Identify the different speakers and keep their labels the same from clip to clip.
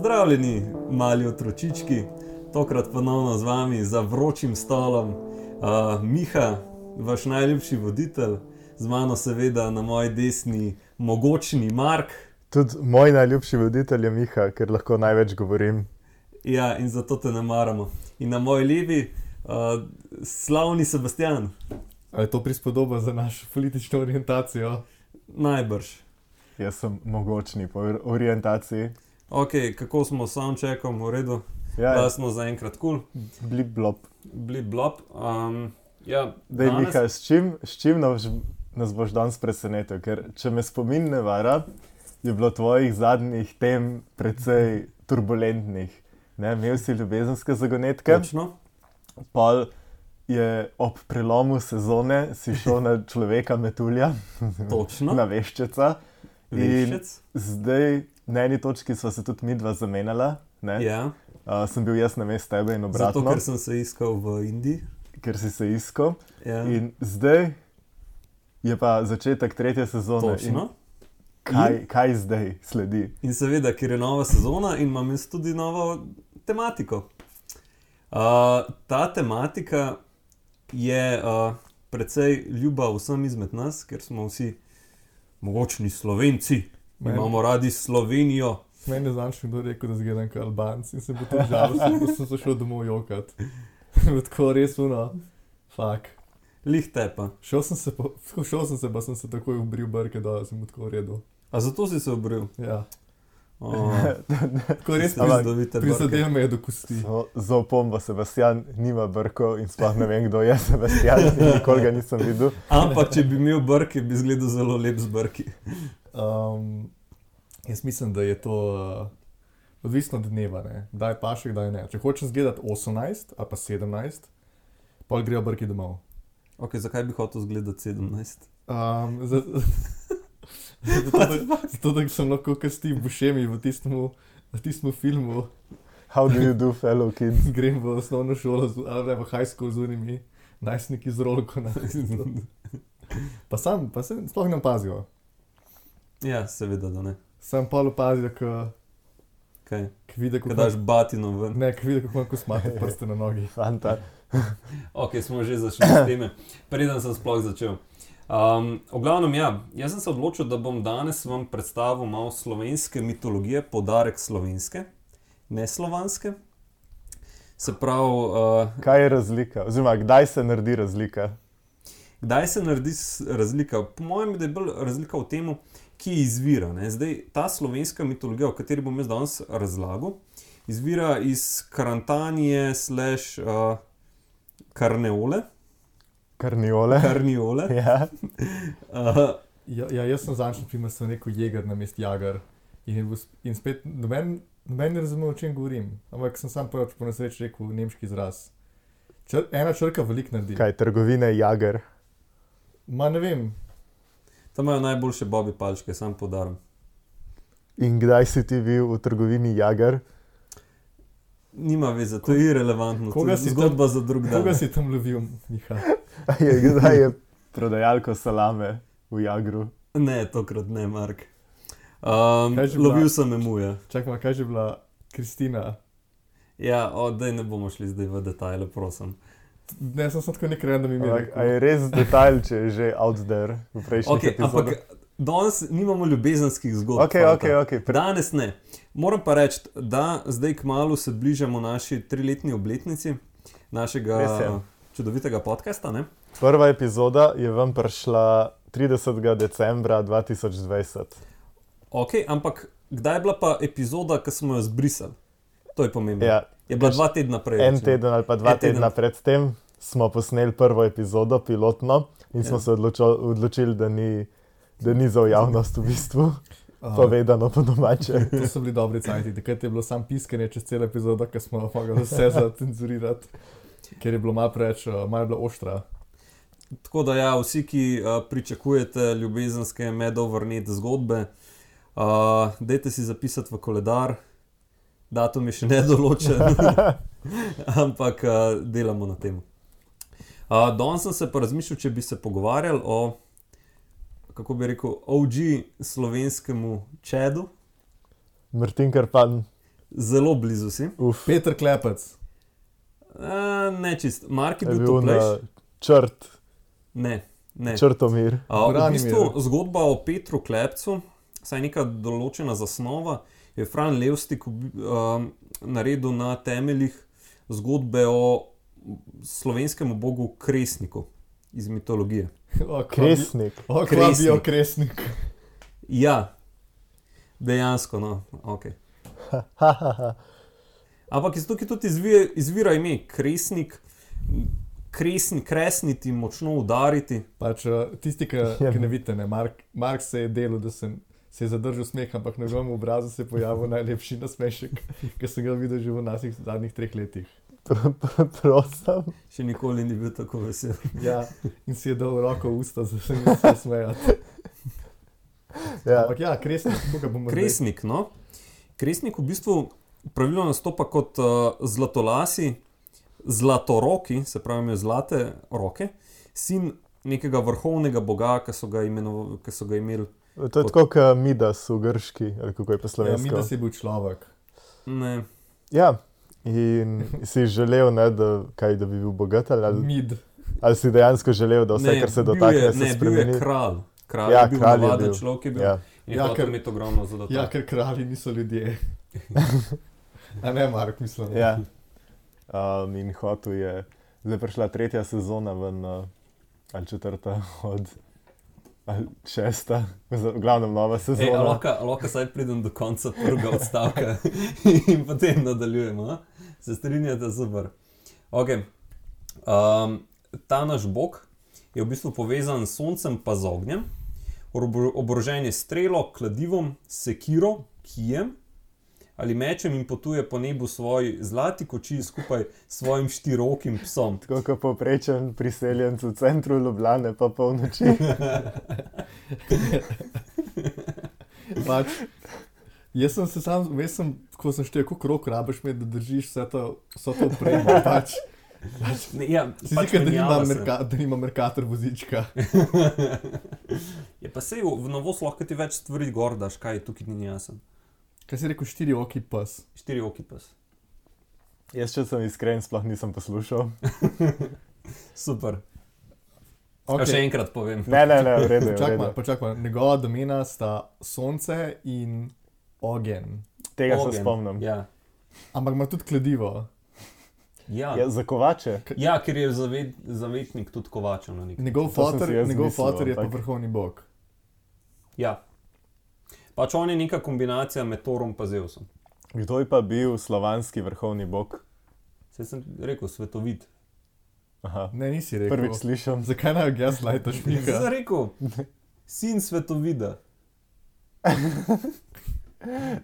Speaker 1: Pozdravljeni, mali otročički, tokrat ponovno z vami za vročim stolom. Miha, vaš najljubši voditelj, z mano seveda na moji desni mogočni Mark.
Speaker 2: Tudi moj najljubši voditelj je Miha, ker lahko največ govorim.
Speaker 1: Ja, in zato te ne maramo. In na moji levi slavni Sebastian.
Speaker 3: A je to prispodoba za našo politično orientacijo?
Speaker 1: Najbrž.
Speaker 2: Jaz sem mogočni po orientaciji.
Speaker 1: Ok, kako smo s soundcheckom, v redu?
Speaker 2: Ja,
Speaker 1: Da smo zaenkrat cool.
Speaker 2: blip blop.
Speaker 1: Blip blop. Ja,
Speaker 2: Dej,
Speaker 1: danes...
Speaker 2: Miha, s čim nas boš danes presenetil? Ker če me spomin ne vara, je bilo tvojih zadnjih tem precej turbulentnih. Ne, imel si ljubezenske zagonetke,
Speaker 1: Točno.
Speaker 2: pol je ob prelomu sezone si šel na človeka metulja,
Speaker 1: Točno.
Speaker 2: na veščeca.
Speaker 1: Veščec.
Speaker 2: Zdaj, na eni točki sva se tudi midva zamenjala, ne?
Speaker 1: Ja,
Speaker 2: Sem bil jaz na mestu tebe in obratno,
Speaker 1: zato ker sem se iskal v Indiji.
Speaker 2: ker si se iskal.
Speaker 1: Ja.
Speaker 2: In zdaj je pa začetek tretje sezone.
Speaker 1: Točno.
Speaker 2: In kaj zdaj sledi?
Speaker 1: In seveda, ker je nova sezona in imam jaz tudi novo tematiko. Ta tematika je precej ljuba vsem izmed nas, ker smo vsi mogočni Slovenci. Imamo radi Slovenijo.
Speaker 3: Meni je zanj še kdo rekel, da zgledam kot Albanci in se bo tudi žalosten, da sem se šel domov jokat. Tako res fuck.
Speaker 1: Lih te pa.
Speaker 3: Šel sem se, pa sem se takoj ubril brke, da sem tako v redu.
Speaker 1: A zato si se obril?
Speaker 3: Ja,
Speaker 1: Oh,
Speaker 3: tako res
Speaker 1: prizadevite
Speaker 3: prizadel me je do kosti.
Speaker 2: Za opombo, Sebastian nima brkov in sploh ne vem, kdo je Sebastian, nikoli ga nisem videl.
Speaker 1: Ampak, če bi imel brke, bi izgledal zelo lep z brki.
Speaker 3: Jaz mislim, da je to odvisno od dneva, ne? Kdaj paše, kdaj ne. Če hočem zgledati 18 ali pa 17, pol grejo brki domov.
Speaker 1: Ok, zakaj bi hotel zgledati 17?
Speaker 3: Zato, da sem lahko kot Steve Buscemi v tistem filmu.
Speaker 2: How do you do, fellow kids?
Speaker 3: Grem v osnovno šolo, ali v high school z unimi najstniki z rolko. Pa se sploh ne opazijo.
Speaker 1: Ja, seveda, da ne.
Speaker 3: Sam pol opazijo,
Speaker 1: Kaj?
Speaker 3: vidi,
Speaker 1: Ko daš batino ven.
Speaker 3: ne, vidi, kako imam kosmate prste na nogi.
Speaker 2: Fanta.
Speaker 1: Ok, smo že zašli s teme, preden sem sploh začel. V glavnem, ja, jaz sem se odločil, da bom danes vam predstavil malo slovenske mitologije, poudarek slovenske, ne slovanske. Se pravi...
Speaker 2: Kaj je razlika? Oziroma, kdaj se naredi razlika?
Speaker 1: Kdaj se naredi razlika? Po mojem, da je bolj razlika v tem, ki izvira. Ne? Zdaj, ta slovenska mitologija, o kateri bom jaz danes razlagal, izvira iz Karantanije / Karneole.
Speaker 2: Karniole?
Speaker 1: Karniole.
Speaker 2: Ja.
Speaker 3: Ja, jaz sem zanjši primer, sem rekel jeger na mest jagar. In spet noben ne razume, o čem govorim. Ampak sem sam prvič po nesreči rekel nemški izraz. Ena črka veliko naredi.
Speaker 2: Kaj, trgovine Jager?
Speaker 3: Ma ne vem.
Speaker 1: Tam imajo najboljše Bobby palčke, sam podarim.
Speaker 2: In kdaj si ti bil v trgovini Jager?
Speaker 1: Nima veze, to je irelevantno, to je
Speaker 3: si
Speaker 1: zgodba za drug dan.
Speaker 3: Koga si tam lovil, Miha?
Speaker 2: Kdaj je prodajalko salame v Jagru?
Speaker 1: Ne, tokrat ne, Mark.
Speaker 3: Kaj že bila?
Speaker 1: Lovil sem emuja.
Speaker 3: Čakaj, kaj že bila Kristina?
Speaker 1: Ja, daj ne bomo šli zdaj v detajle, prosim.
Speaker 3: Ne, sem tako nek random ime
Speaker 2: A
Speaker 3: rekel.
Speaker 2: je res detajl, če je že out there v prejšnjih
Speaker 1: Ok, ampak
Speaker 2: epizodah?
Speaker 1: danes nimamo ljubezenskih zgodb.
Speaker 2: Ok.
Speaker 1: Danes ne. Moram pa reči, da zdaj kmalu se bližamo naši 3-letni obletnici našega
Speaker 2: Res je.
Speaker 1: čudovitega podcasta, ne?
Speaker 2: Prva epizoda je vam prišla 30. decembra 2020.
Speaker 1: Ok, ampak kdaj je bila pa epizoda, ki smo jo zbrisali? To je pomembno.
Speaker 2: Ja,
Speaker 1: Je bila 2 tedna prej.
Speaker 2: en
Speaker 1: recimo.
Speaker 2: teden ali pa 2
Speaker 1: En teden.
Speaker 2: tedna pred tem smo posneli prvo epizodo, pilotno, in smo
Speaker 1: Ja.
Speaker 2: se odločili, da ni za javnost v bistvu povedano po domače.
Speaker 3: To so bili dobri cajti. Takrat je bilo sam piskanje čez celo epizodo, ker smo mogli vse zacenzurirati, ker je bilo malo preveč, malo je bilo oštra.
Speaker 1: Tako da ja, vsi, ki pričakujete ljubezenske medovrnet zgodbe, dajte si zapisati v koledar, datum je še nedoločen, ampak delamo na tem. Danes sem se pa razmišljal, če bi se pogovarjali o, kako bi rekel, OG slovenskemu čedu.
Speaker 2: Martin Krpan.
Speaker 1: Zelo blizu si.
Speaker 3: Peter Klepec.
Speaker 1: Ne čist. Mark je
Speaker 2: Je
Speaker 1: bil
Speaker 2: bil na
Speaker 1: toplejši. Ne.
Speaker 2: Črtomir.
Speaker 1: V
Speaker 3: Branimir.
Speaker 1: bistvu zgodba o Petru Klepcu, saj neka določena zasnova, je Fran Levstik naredil na temeljih zgodbe o slovenskem bogu Kresniku iz mitologije.
Speaker 2: Kresnik.
Speaker 3: Kresnik. Kresnik.
Speaker 1: Ja, dejansko, no, ok. Ampak iz tukaj tudi izvira ime Kresnik, kresniti, močno udariti.
Speaker 3: Pač tisti, ki ne vidite, ne, Mark se je delal, da se je zadržal smeh, ampak na njegovem obrazu se je pojavil najlepši nasmešek, ki sem ga videl že v naših zadnjih 3 letih.
Speaker 2: Prosim.
Speaker 1: Še nikoli ni bil tako vesel.
Speaker 3: Ja, in si je dal roko v usta, da se mi vse smejati.
Speaker 2: Ja.
Speaker 3: Ampak ja, Kresnik, koga bomo
Speaker 1: Kresnik, no. Kresnik v bistvu pravilno nastopa kot zlatolasi, zlatoroki, se pravi imajo zlate roke, sin nekega vrhovnega boga, ki so ga imeli.
Speaker 2: To je tako kot Midas v grški, ali kako je po
Speaker 3: Ja,
Speaker 2: slovensko.
Speaker 3: Midas je bil človek.
Speaker 1: Ne.
Speaker 2: Ja, in si želel, ne, da bi bil bogat, ali si dejansko želel, da vse, kar se dotakne, se spremeni?
Speaker 1: Bil je kralj. Kralj
Speaker 2: Ja,
Speaker 1: je bil,
Speaker 2: kralj je
Speaker 1: navaden
Speaker 2: bil.
Speaker 1: človek je bil.
Speaker 2: Ja.
Speaker 1: In
Speaker 3: Ja,
Speaker 1: hotel imeti ogromno zlato.
Speaker 3: Ja, ker kralji niso ljudje. A ne, Mark, mislim.
Speaker 2: Ja. In hotel je, zdaj je prišla 3. sezona ven, ali 4. ali 6. v glavnem nova sezona.
Speaker 1: Lahko saj pridem do konca prvega odstavka in potem nadaljujemo. A? Se strinjate, super. Okay. Ta naš bog je v bistvu povezan s soncem pa z ognjem, oborožen je strelo, kladivom, sekiro, kijem ali mečem in potuje po nebu svoj zlati koči skupaj s svojim štirirokim psom.
Speaker 2: Tako kot povprečen priseljenec v centru Ljubljane, pa polnoči.
Speaker 3: Pač, jaz sem, ko sem štel, koliko rok rabiš imeti, da držiš vse to opremo. Pač.
Speaker 1: Ja,
Speaker 3: Si zdi, da nima Mercator vozička.
Speaker 1: Je pa sej v novost lahko ti več stvari gor daš, kaj tukaj ni jasen.
Speaker 3: Kaj si rekel, 4-oki pes?
Speaker 1: 4-oki pes.
Speaker 2: Jaz, če sem iskren, sploh nisem poslušal.
Speaker 1: Super.
Speaker 3: Okay.
Speaker 1: Še enkrat povem.
Speaker 2: Ne, v redu.
Speaker 3: Počakaj, njegova domena sta sonce in ogenj.
Speaker 2: Tega se spomnim.
Speaker 1: Ja.
Speaker 3: Ampak ima tudi kladivo.
Speaker 1: Ja.
Speaker 2: Ja, za kovače.
Speaker 1: Ja, ker je zavetnik tudi kovačev na nek.
Speaker 3: Njegov foter je pa vrhovni bog.
Speaker 1: Ja. Pač on je neka kombinacija med Thorom pa Zeusom.
Speaker 2: Kdo je pa bil slovanski vrhovni bog?
Speaker 1: Saj sem rekel svetovit.
Speaker 2: Aha.
Speaker 3: Ne, nisi rekel.
Speaker 2: Prvič slišam.
Speaker 3: Zakaj naj gaslightaš Mika?
Speaker 1: Sem rekel, sin svetovida.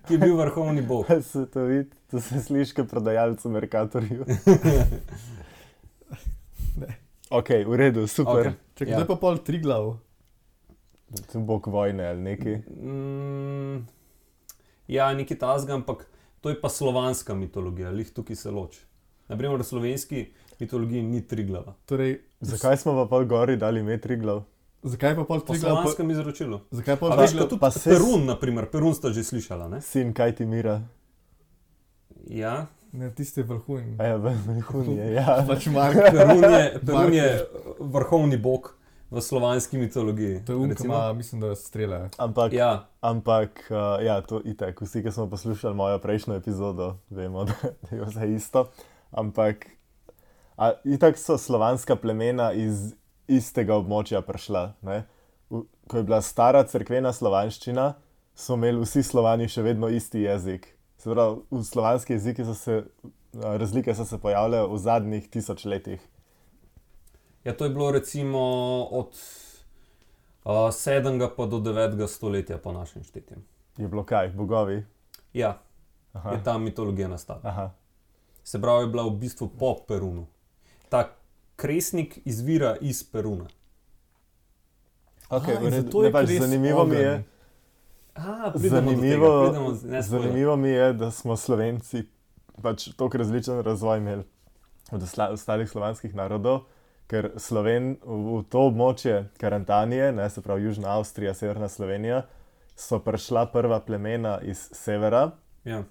Speaker 1: Ki je bil vrhovni bog.
Speaker 2: Svetovit, to se sliši kot prodajalec v Mercatorju. Ok, v redu, super.
Speaker 1: Okay.
Speaker 3: Čekaj, kdo je pa pol Triglav?
Speaker 2: Bog vojne ali nekaj.
Speaker 1: Ja, nekaj tasga, ampak to je pa slovanska mitologija, lih tukaj se loči. Naprimer, v slovenski mitologiji ni Triglava.
Speaker 3: Torej,
Speaker 2: zakaj smo pa pol gori dali ime Triglav?
Speaker 3: Zakaj pa pol
Speaker 1: Po
Speaker 3: Triglav?
Speaker 1: slovanskem izročilu.
Speaker 3: Zakaj pol
Speaker 1: A veš,
Speaker 3: Triglav?
Speaker 1: tudi
Speaker 2: pa se-
Speaker 1: Perun, naprimer, Perun sta že slišala, ne?
Speaker 2: Sin Kajtimira.
Speaker 1: Ja,
Speaker 3: Ne, tiste vrhunj.
Speaker 2: A ja, vrhun je, ja.
Speaker 3: Pač Mark.
Speaker 1: Perun je vrhovni bog v slovanski mitologiji.
Speaker 3: To je um, ki
Speaker 1: recimo.
Speaker 3: ima, mislim, da strele.
Speaker 2: Ampak,
Speaker 1: Ja,
Speaker 2: ja, to itak. Vsi, ki smo poslušali mojo prejšnjo epizodo, vemo, da je vse isto. Ampak, itak so slovanska plemena iz istega območja prišla. Ne? Ko je bila stara cerkvena slovanščina, so imeli vsi Slovani še vedno isti jezik. Se pravi, v slovanski jeziki razlike so se pojavljale v zadnjih 1000 letih.
Speaker 1: ja, to je bilo recimo od 7. pa do 9. stoletja po našem štetju.
Speaker 2: Je bilo kaj, bogovi?
Speaker 1: Ja,
Speaker 2: Aha.
Speaker 1: je ta mitologija nastala.
Speaker 2: Aha.
Speaker 1: Se pravi, je bila v bistvu po Perunu. Ta Kresnik izvira iz Peruna.
Speaker 2: Okay,
Speaker 3: in zato je Kres
Speaker 2: zanimivo mi je.
Speaker 1: Pridemo
Speaker 2: Zanimivo mi je, da smo Slovenci pač toliko različen razvoj imeli od ostalih slovanskih narodov, ker v to območje Karantanije, ne, se pravi Južna Avstrija, Severna Slovenija, so prišla prva plemena iz severa
Speaker 1: Ja.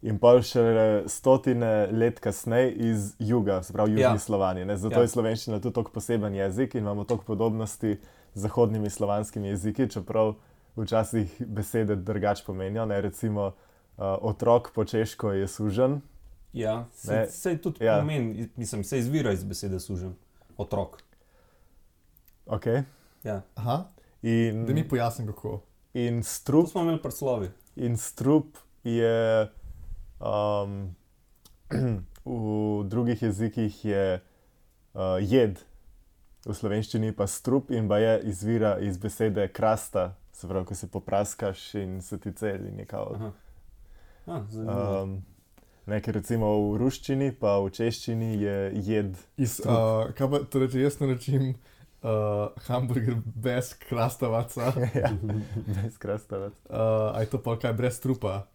Speaker 2: in pol še stotine let kasneje iz juga, se pravi južni Slovaniji. Ne? Zato je slovenščina tudi tako poseben jezik in imamo toliko podobnosti z zahodnimi slovanskimi jeziki, čeprav včasih besede drugače pomenijo. Ne? Recimo otrok po češko je sužen.
Speaker 1: Ja, sej tudi pomeni, mislim, se izvira iz besede sužen. Otrok.
Speaker 2: Ok.
Speaker 1: Ja.
Speaker 3: Aha,
Speaker 2: In,
Speaker 3: da mi pojasnim kako.
Speaker 2: in
Speaker 1: To
Speaker 2: strup,
Speaker 1: smo imeli prslovi.
Speaker 2: in strup je v drugih jezikih je jed, v slovenščini pa strup in baje izvira iz besede krasta, se pravi, ko se popraskaš in se ti celi nekako.
Speaker 1: Aha. Zanimivo.
Speaker 2: Nekaj recimo v ruščini, pa v češčini je jed.
Speaker 3: Kaj pa, torej, če jaz naročim hamburger brez krastavaca,
Speaker 2: Ja, brez krastavac.
Speaker 3: a je to pa kaj brez trupa?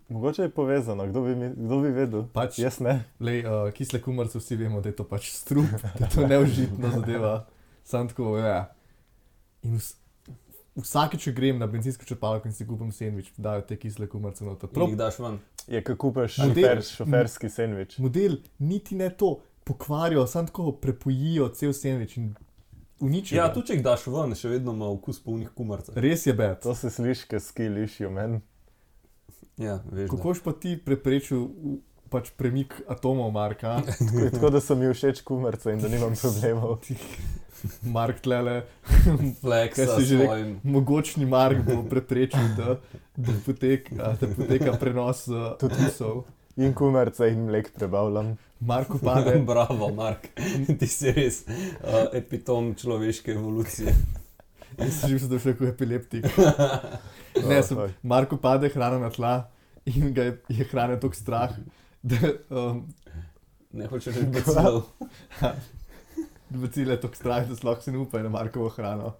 Speaker 2: Mogoče je povezano, kdo bi vedel?
Speaker 3: Pač,
Speaker 2: Jaz ne.
Speaker 3: lej, kisle kumarce vsi vemo, da je to pač strup, da je to neužitna zadeva. Sam tako, ja. In vsakeč, če grem na bencinsko črpalko in si kupim sendvič, dajo te kisle kumarce noter.
Speaker 1: In jih daš ven.
Speaker 2: Je, ko kupaš
Speaker 3: Model-
Speaker 2: šoferski sendvič.
Speaker 3: Model niti ne to pokvarijo, samo tako prepojijo cel sendvič in uničijo.
Speaker 1: Ja,
Speaker 3: ga.
Speaker 1: tudi če jih daš ven, še vedno ima okus polnih kumarcev.
Speaker 3: Res je bed.
Speaker 2: To se sliši, kot skilišijo meni.
Speaker 1: Ja, veš.
Speaker 3: Kako pa ti preprečil pač premik atomov, Marka?
Speaker 2: Tako da so mi všeč kumarce in da nimam problemov.
Speaker 3: Mark tlele,
Speaker 1: Flexa
Speaker 3: Kaj si že
Speaker 1: svojim.
Speaker 3: mogočni Mark bo preprečil, da poteka prenos odvisov.
Speaker 2: In kumarce in mlek prebavljam.
Speaker 3: Marku pade,
Speaker 1: Bravo, Mark. Ti si res epitom človeške evolucije.
Speaker 3: jaz sem že mislil, da je še kot epileptik. Ne, Marku pade hrana na tla in ga je hrane toliko strah, da
Speaker 1: Ne hočeš reči bacilov.
Speaker 3: bacile je toliko strah, da sploh se ne upa na Markovo hrano.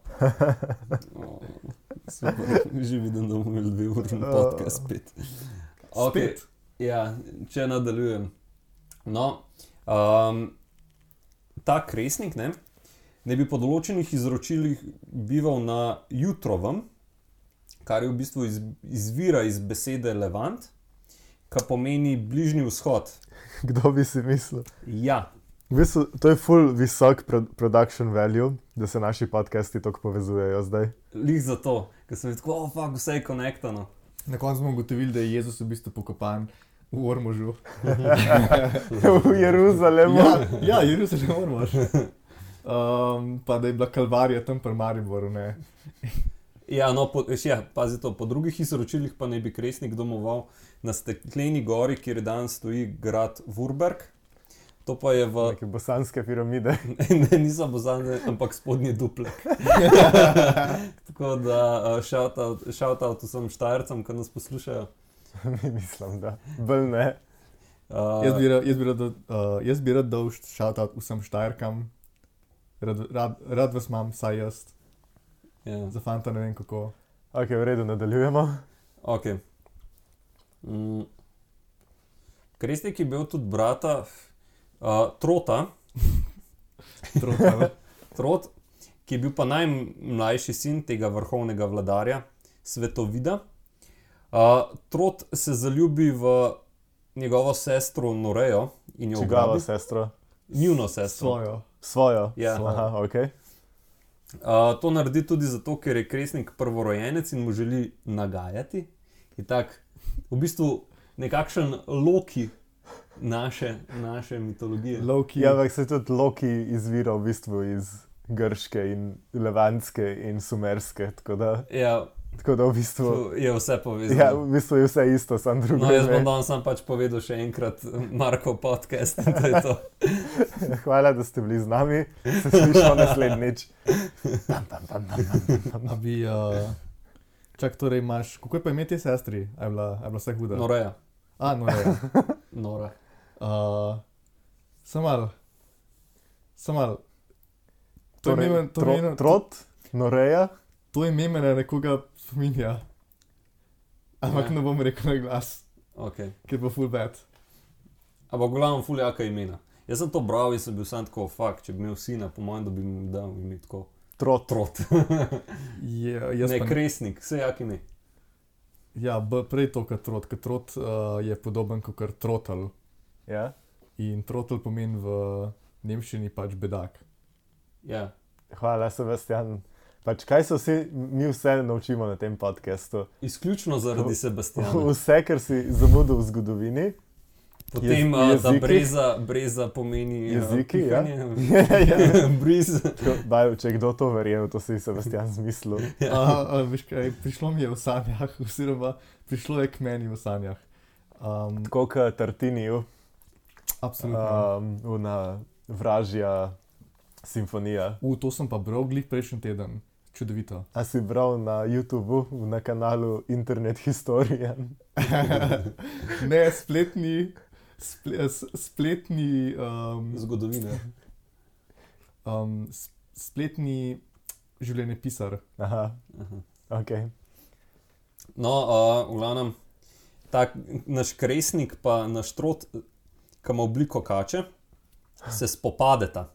Speaker 1: Super, že vidim, da bomo imeli 2-urni podcast spet.
Speaker 3: Spet?
Speaker 1: Ja, če nadaljujem. No, ta kresnik, ne bi po določenih izročilih bival na Jutrovem, kar je v bistvu izvira iz besede Levant, kar pomeni bližnji vzhod.
Speaker 2: Kdo bi si mislil?
Speaker 1: Ja,
Speaker 2: V bistvu, to je full visok production value, da se naši podcasti tako povezujejo zdaj.
Speaker 1: lih zato, ker sem tako, vse je konektano.
Speaker 3: Na koncu smo ugotovili, da je Jezus v bistvu pokopan v Ormožu.
Speaker 2: V Jeruzalemu.
Speaker 3: Ja, Jeruzalem Ormož. Pa da je bila Kalvarija tam pri Mariboru, ne.
Speaker 1: Ja, no, pazi to, po drugih izročilih pa naj bi kresnik domoval na stekleni gori, kjer danes stoji grad Vurberg. To pa je v...
Speaker 2: Neke bosanske piramide.
Speaker 1: Ne, niso bozane, ampak spodnji duplek. Tako da shout-out vsem Štajercem, ki nas poslušajo.
Speaker 2: Mislim, da. Bolj ne.
Speaker 3: Jaz bi rad dal shoutout vsem Štajerkam. Rad vas imam, saj jaz.
Speaker 1: Ja,
Speaker 3: Za fanta ne vem kako.
Speaker 2: Ok, v redu, nadaljujemo.
Speaker 1: ok. Kresnik je bil tudi brata Trota, Trot, ki je bil pa najmlajši sin tega vrhovnega vladarja, Svetovida. Trot se zaljubi v njegovo sestro Norejo in jo
Speaker 2: Čigavo
Speaker 1: ugrabi.
Speaker 2: sestro?
Speaker 1: Njuno sestro.
Speaker 3: Svojo.
Speaker 2: Svojo?
Speaker 1: Ja.
Speaker 2: Aha, ok.
Speaker 1: To naredi tudi zato, ker je kresnik prvorojenec in mu želi nagajati. In tak, v bistvu nekakšen Loki naše mitologije.
Speaker 3: Loki.
Speaker 2: Ja, ampak se tudi Loki izvira v bistvu iz grške in levantske in sumerske, tako da v bistvu...
Speaker 1: Je vse povezano.
Speaker 2: Ja, v bistvu je vse isto, samo drugo.
Speaker 1: No, jaz bom danes sam pač povedal še enkrat Markov podcast in to je to.
Speaker 2: Hvala, da ste bili z nami. Se slišimo naslednjič.
Speaker 3: A bi, čak, torej imaš, kako je pa ime te sestri? A je bila vse huda?
Speaker 1: Noreja.
Speaker 3: Noreja.
Speaker 1: Nora.
Speaker 3: Sam malo.
Speaker 2: Trot? Noreja?
Speaker 3: To ime me na nekoga spominja. Ampak ne bom rekel na glas,
Speaker 1: Okay.
Speaker 3: ker bo full bad.
Speaker 1: Ampak glavno ful jaka imena. Jaz sem to bral in sem bil sam tako, če bi imel sina, po mojem, da bi mu dal ime tako.
Speaker 2: Trot.
Speaker 1: Trot.
Speaker 3: Jaz
Speaker 1: Ne,
Speaker 3: pa
Speaker 1: kresnik, vse jak ime.
Speaker 3: Ja, prej to kot trot. Ker trot je podoben kot trotel.
Speaker 2: Ja?
Speaker 3: In trotel pomeni v nemščini pač bedak.
Speaker 1: Ja.
Speaker 2: Hvala, Sebastian. Pač kaj se mi vse naučimo na tem podcastu?
Speaker 1: Izključno zaradi Sebastiana.
Speaker 2: Vse, kar si zamudil v zgodovini.
Speaker 1: Potem, da breza pomeni
Speaker 2: jeziki,
Speaker 1: pihanje.
Speaker 2: Ja.
Speaker 1: Briz.
Speaker 2: Če kdo to verjel, to si Sebastian zmislil.
Speaker 3: Veš kaj, prišlo mi je v sanjah, oziroma prišlo je k meni v sanjah.
Speaker 2: Tako kot Tartiniju,
Speaker 3: Absolutno.
Speaker 2: na vražja simfonija.
Speaker 3: To sem pa bral glih prejšnji teden. Čudovito.
Speaker 2: A si bral na YouTubu, na kanalu Internet Historian?
Speaker 3: Ne, spletni
Speaker 1: Zgodovine.
Speaker 3: spletni življenjepisar.
Speaker 2: Aha, ok.
Speaker 1: No, v glavnem, tak naš kresnik pa naš trot, ki ima obliko kače, se spopadeta.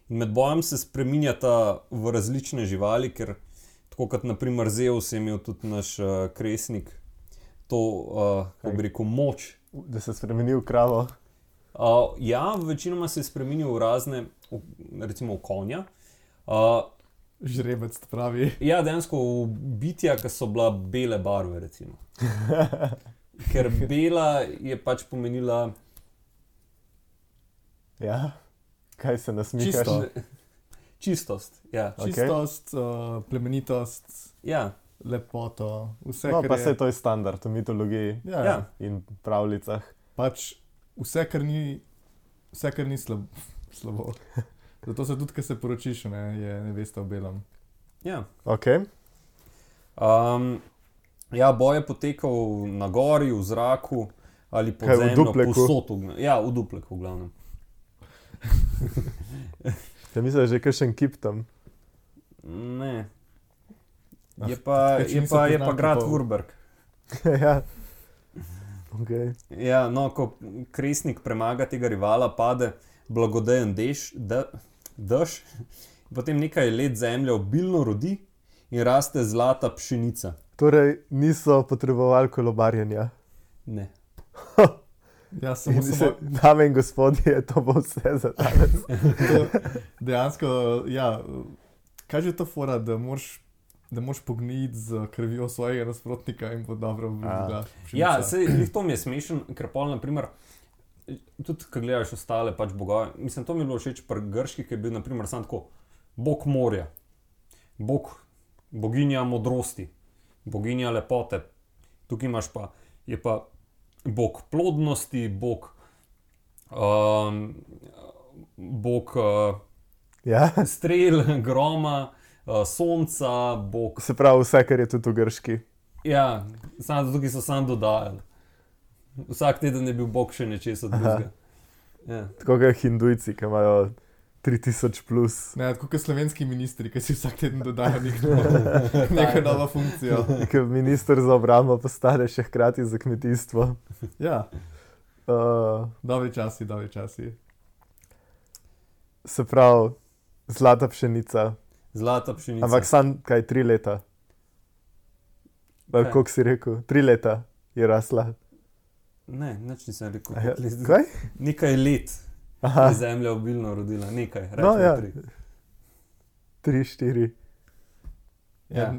Speaker 1: In med bojem se spreminjata v različne živali, ker tako kot naprimer Zeus je imel tudi naš kresnik to, kako bi rekel, moč.
Speaker 2: Da se spremeni v kravo.
Speaker 1: Ja, večinoma se je spremenil v razne, recimo v konja.
Speaker 3: Žrebec pravi.
Speaker 1: Ja, dejansko v bitja, ki so bila bele barve, recimo. Ker bela je pač pomenila...
Speaker 2: Ja? Kaj se nasmihaš?
Speaker 1: Čistost, ja.
Speaker 3: Čistost, plemenitost,
Speaker 1: Ja,
Speaker 3: lepoto, vse,
Speaker 2: No,
Speaker 3: kar
Speaker 2: pa
Speaker 3: je.
Speaker 2: se to je standard v mitologiji
Speaker 3: Ja,
Speaker 2: in pravljicah.
Speaker 3: pač vse, kar ni slabo. Zato se tudi, ko se poročiš, je nevesta v belem.
Speaker 1: ja.
Speaker 2: Ok.
Speaker 1: Ja, boj je potekal na gori, v zraku ali pod
Speaker 2: Kaj, v
Speaker 1: zemljo,
Speaker 2: Dupleku?
Speaker 1: povsod. Ja, v Dupleku v glavnem.
Speaker 2: Ja, mislim, da je že kakšen kip tam.
Speaker 1: Ne.
Speaker 3: Ah,
Speaker 1: Je pa,
Speaker 3: tukaj, če
Speaker 1: je
Speaker 3: niso
Speaker 1: pa, je pa
Speaker 3: poznam
Speaker 1: grad
Speaker 3: kipov.
Speaker 1: Würberg.
Speaker 2: Ja. Okay.
Speaker 1: Ja, no, ko kresnik premaga tega rivala, pade blagodejen dež, potem nekaj let zemlja obilno rodi in raste zlata pšenica.
Speaker 2: Torej, niso potrebovali kolobarjenja.
Speaker 1: Ne.
Speaker 3: Ja, samo
Speaker 2: Dame in gospodje, to bo vse za danes.
Speaker 3: dejansko, ja, kaj že to fora, da moraš pogniti z krvjo svojega nasprotnika in bo dobro bila pšenica.
Speaker 1: Ja, sej, to mi je smešen, ker pol, naprimer, tudi, ko gledaš ostale pač bogove, mislim, to mi je bilo všeč pri grških, ki je bil, naprimer, sam tako, bog morja, boginja modrosti, boginja lepote, tukaj imaš pa, je pa bog plodnosti, bog
Speaker 2: Ja.
Speaker 1: strel, groma, sonca, bog.
Speaker 2: Se pravi, vse, kar je tudi v grški.
Speaker 1: Ja, tukaj so sam dodajali. Vsak teden je bil bog še nečesa drugega. Ja.
Speaker 2: Tako kot hindujci, ki imajo 3000 plus.
Speaker 3: Ne, tako kot slovenski ministri, ki si vsak teden dodajo neko novo funkcijo.
Speaker 2: Ki minister za obrambo postane še hkrati za kmetijstvo.
Speaker 3: Ja, dobri časi.
Speaker 2: Se pravi, zlata pšenica.
Speaker 1: Zlata pšenica.
Speaker 2: Ampak sam kaj 3 leta.
Speaker 1: Kaj?
Speaker 2: Koliko si rekel? 3 leta je rasla.
Speaker 1: Ne, nič nisem rekel.
Speaker 2: Ja,
Speaker 1: koliko let.
Speaker 2: kaj?
Speaker 1: Nekaj let
Speaker 2: Aha,
Speaker 1: je zemlja obilno rodila, nekaj,
Speaker 2: No,
Speaker 1: rečemo
Speaker 2: ja.
Speaker 1: 3.
Speaker 2: 3, 4.
Speaker 1: Ja.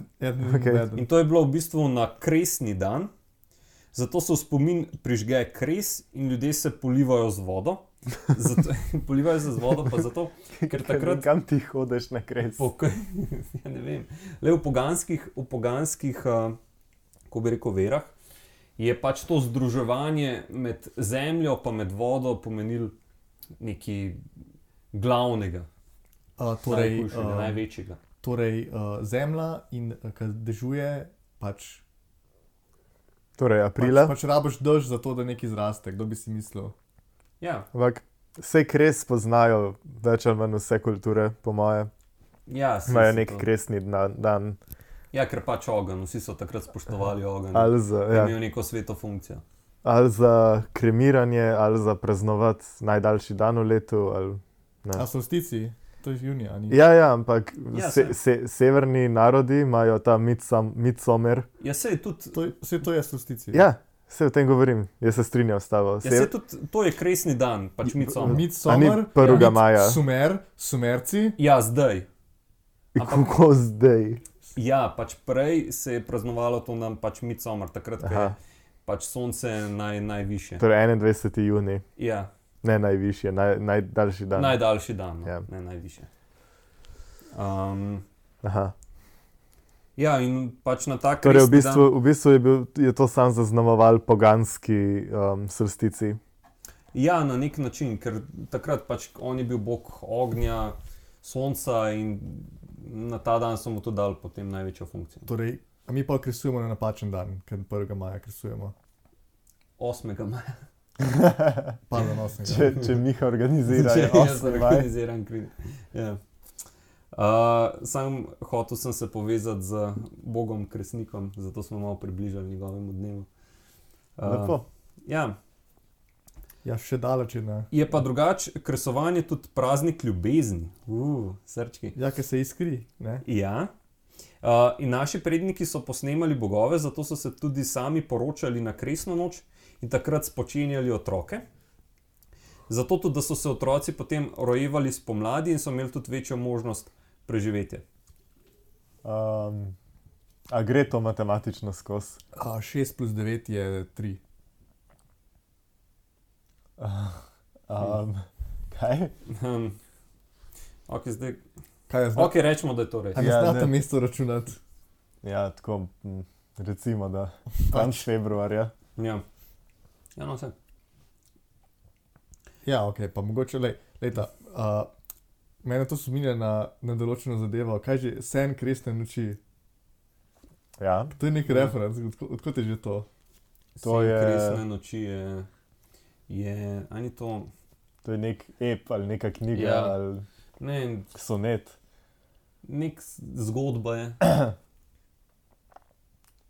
Speaker 2: Okej.
Speaker 1: In to je bilo v bistvu na kresni dan, zato so v spomin prižge kres in ljudje se polivajo z vodo. Polivajo se z vodo pa zato, ker takrat
Speaker 2: Kam ti hodiš na kres?
Speaker 1: ja, ne vem. Le v poganskih ko bi rekel, verah, je pač to združevanje med zemljo pa med vodo pomenilo nekaj glavnega, najhujšega, največjega.
Speaker 3: Torej, zemlja in ko dežuje, pač
Speaker 2: Torej, aprila.
Speaker 3: pač rabiš dež za to, da nekaj zraste, kdo bi si mislil.
Speaker 1: Ja,
Speaker 2: Ampak vse kres poznajo več ali manj vse kulture, po moje.
Speaker 1: ja,
Speaker 2: Imajo nek kresni dan.
Speaker 1: Ja, ker pač ogenj, vsi so takrat spoštovali ogenj.
Speaker 2: Ali za,
Speaker 1: Je
Speaker 2: ja,
Speaker 1: imel neko sveto funkcijo.
Speaker 2: ali za kremiranje, ali za praznovati najdaljši dan v letu. Ali,
Speaker 3: A solstici? To je junija, ni?
Speaker 2: Ja, ampak
Speaker 1: Ja,
Speaker 2: severni narodi imajo ta midsummer.
Speaker 1: Ja, sej tudi,
Speaker 3: To je solstici.
Speaker 2: Ja, se o tem govorim, jaz se strinjam s tabo.
Speaker 1: ja, sej tudi to je kresni dan, pač Midsommar.
Speaker 2: A ni
Speaker 3: Midsommar,
Speaker 2: 1. maja?
Speaker 3: Sumerci.
Speaker 1: Ja, zdaj.
Speaker 2: Kako zdaj?
Speaker 1: Ja, pač prej se je praznovalo to nam pač Midsommar, takrat, ko je
Speaker 2: Aha,
Speaker 1: pač sonce najvišje.
Speaker 2: torej 21. juni,
Speaker 1: Ja,
Speaker 2: ne najvišje, najdaljši dan.
Speaker 1: najdaljši dan, no,
Speaker 2: Ja.
Speaker 1: ne najvišje.
Speaker 2: Aha.
Speaker 1: Ja, in pač na tak
Speaker 2: Torej,
Speaker 1: kresni dan.
Speaker 2: v bistvu je to sam zaznamoval poganski solstici.
Speaker 1: Ja, na nek način, ker takrat pač on je bil bog ognja, sonca in na ta dan so mu to dali potem največjo funkcijo.
Speaker 3: Torej, a mi pa kresujemo na napačen dan, ker 1. maja kresujemo.
Speaker 1: 8. maja.
Speaker 3: Pardon, 8.
Speaker 2: Če Miha organizira, je
Speaker 1: Jaz
Speaker 2: 8. maj.
Speaker 1: organiziram kri. Ja. Sam hotel sem se povezati z Bogom Kresnikom, zato smo malo približali njegovemu dnevu.
Speaker 2: Lepo.
Speaker 1: Ja,
Speaker 3: Ja, še daleč je, ne.
Speaker 1: je pa drugače kresovanje tudi praznik ljubezni. Srčki.
Speaker 3: Ja, ker se iskri, ne.
Speaker 1: Ja. In naši predniki so posnemali bogove, zato so se tudi sami poročali na kresno noč in takrat spočenjali otroke. Zato tudi, da so se otroci potem rojevali spomladi in so imeli tudi večjo možnost preživetja.
Speaker 2: A gre to matematično skozi?
Speaker 3: 6 plus 9 je 3.
Speaker 2: Kaj?
Speaker 1: Ok, zdaj.
Speaker 3: Kaj je zdaj?
Speaker 1: Ok, rečemo, da je to res.
Speaker 3: A ne
Speaker 2: Ja,
Speaker 3: znate
Speaker 2: ne.
Speaker 3: mesto računati?
Speaker 2: Ja, tako, recimo, da konec februarja.
Speaker 1: Ja, ja, no vse.
Speaker 3: Ja, ok, pa mogoče, lejta, mene to spominja na določeno zadevo. Kaj že, sen kresne noči?
Speaker 2: Ja,
Speaker 3: To je nek referenc, odkot je že to?
Speaker 2: To
Speaker 1: Sen
Speaker 2: je-
Speaker 1: Kresne noči ani to,
Speaker 2: to je nek ep ali neka knjiga
Speaker 1: Ja.
Speaker 2: ali
Speaker 1: ne,
Speaker 2: sonet.
Speaker 1: nek zgodba je.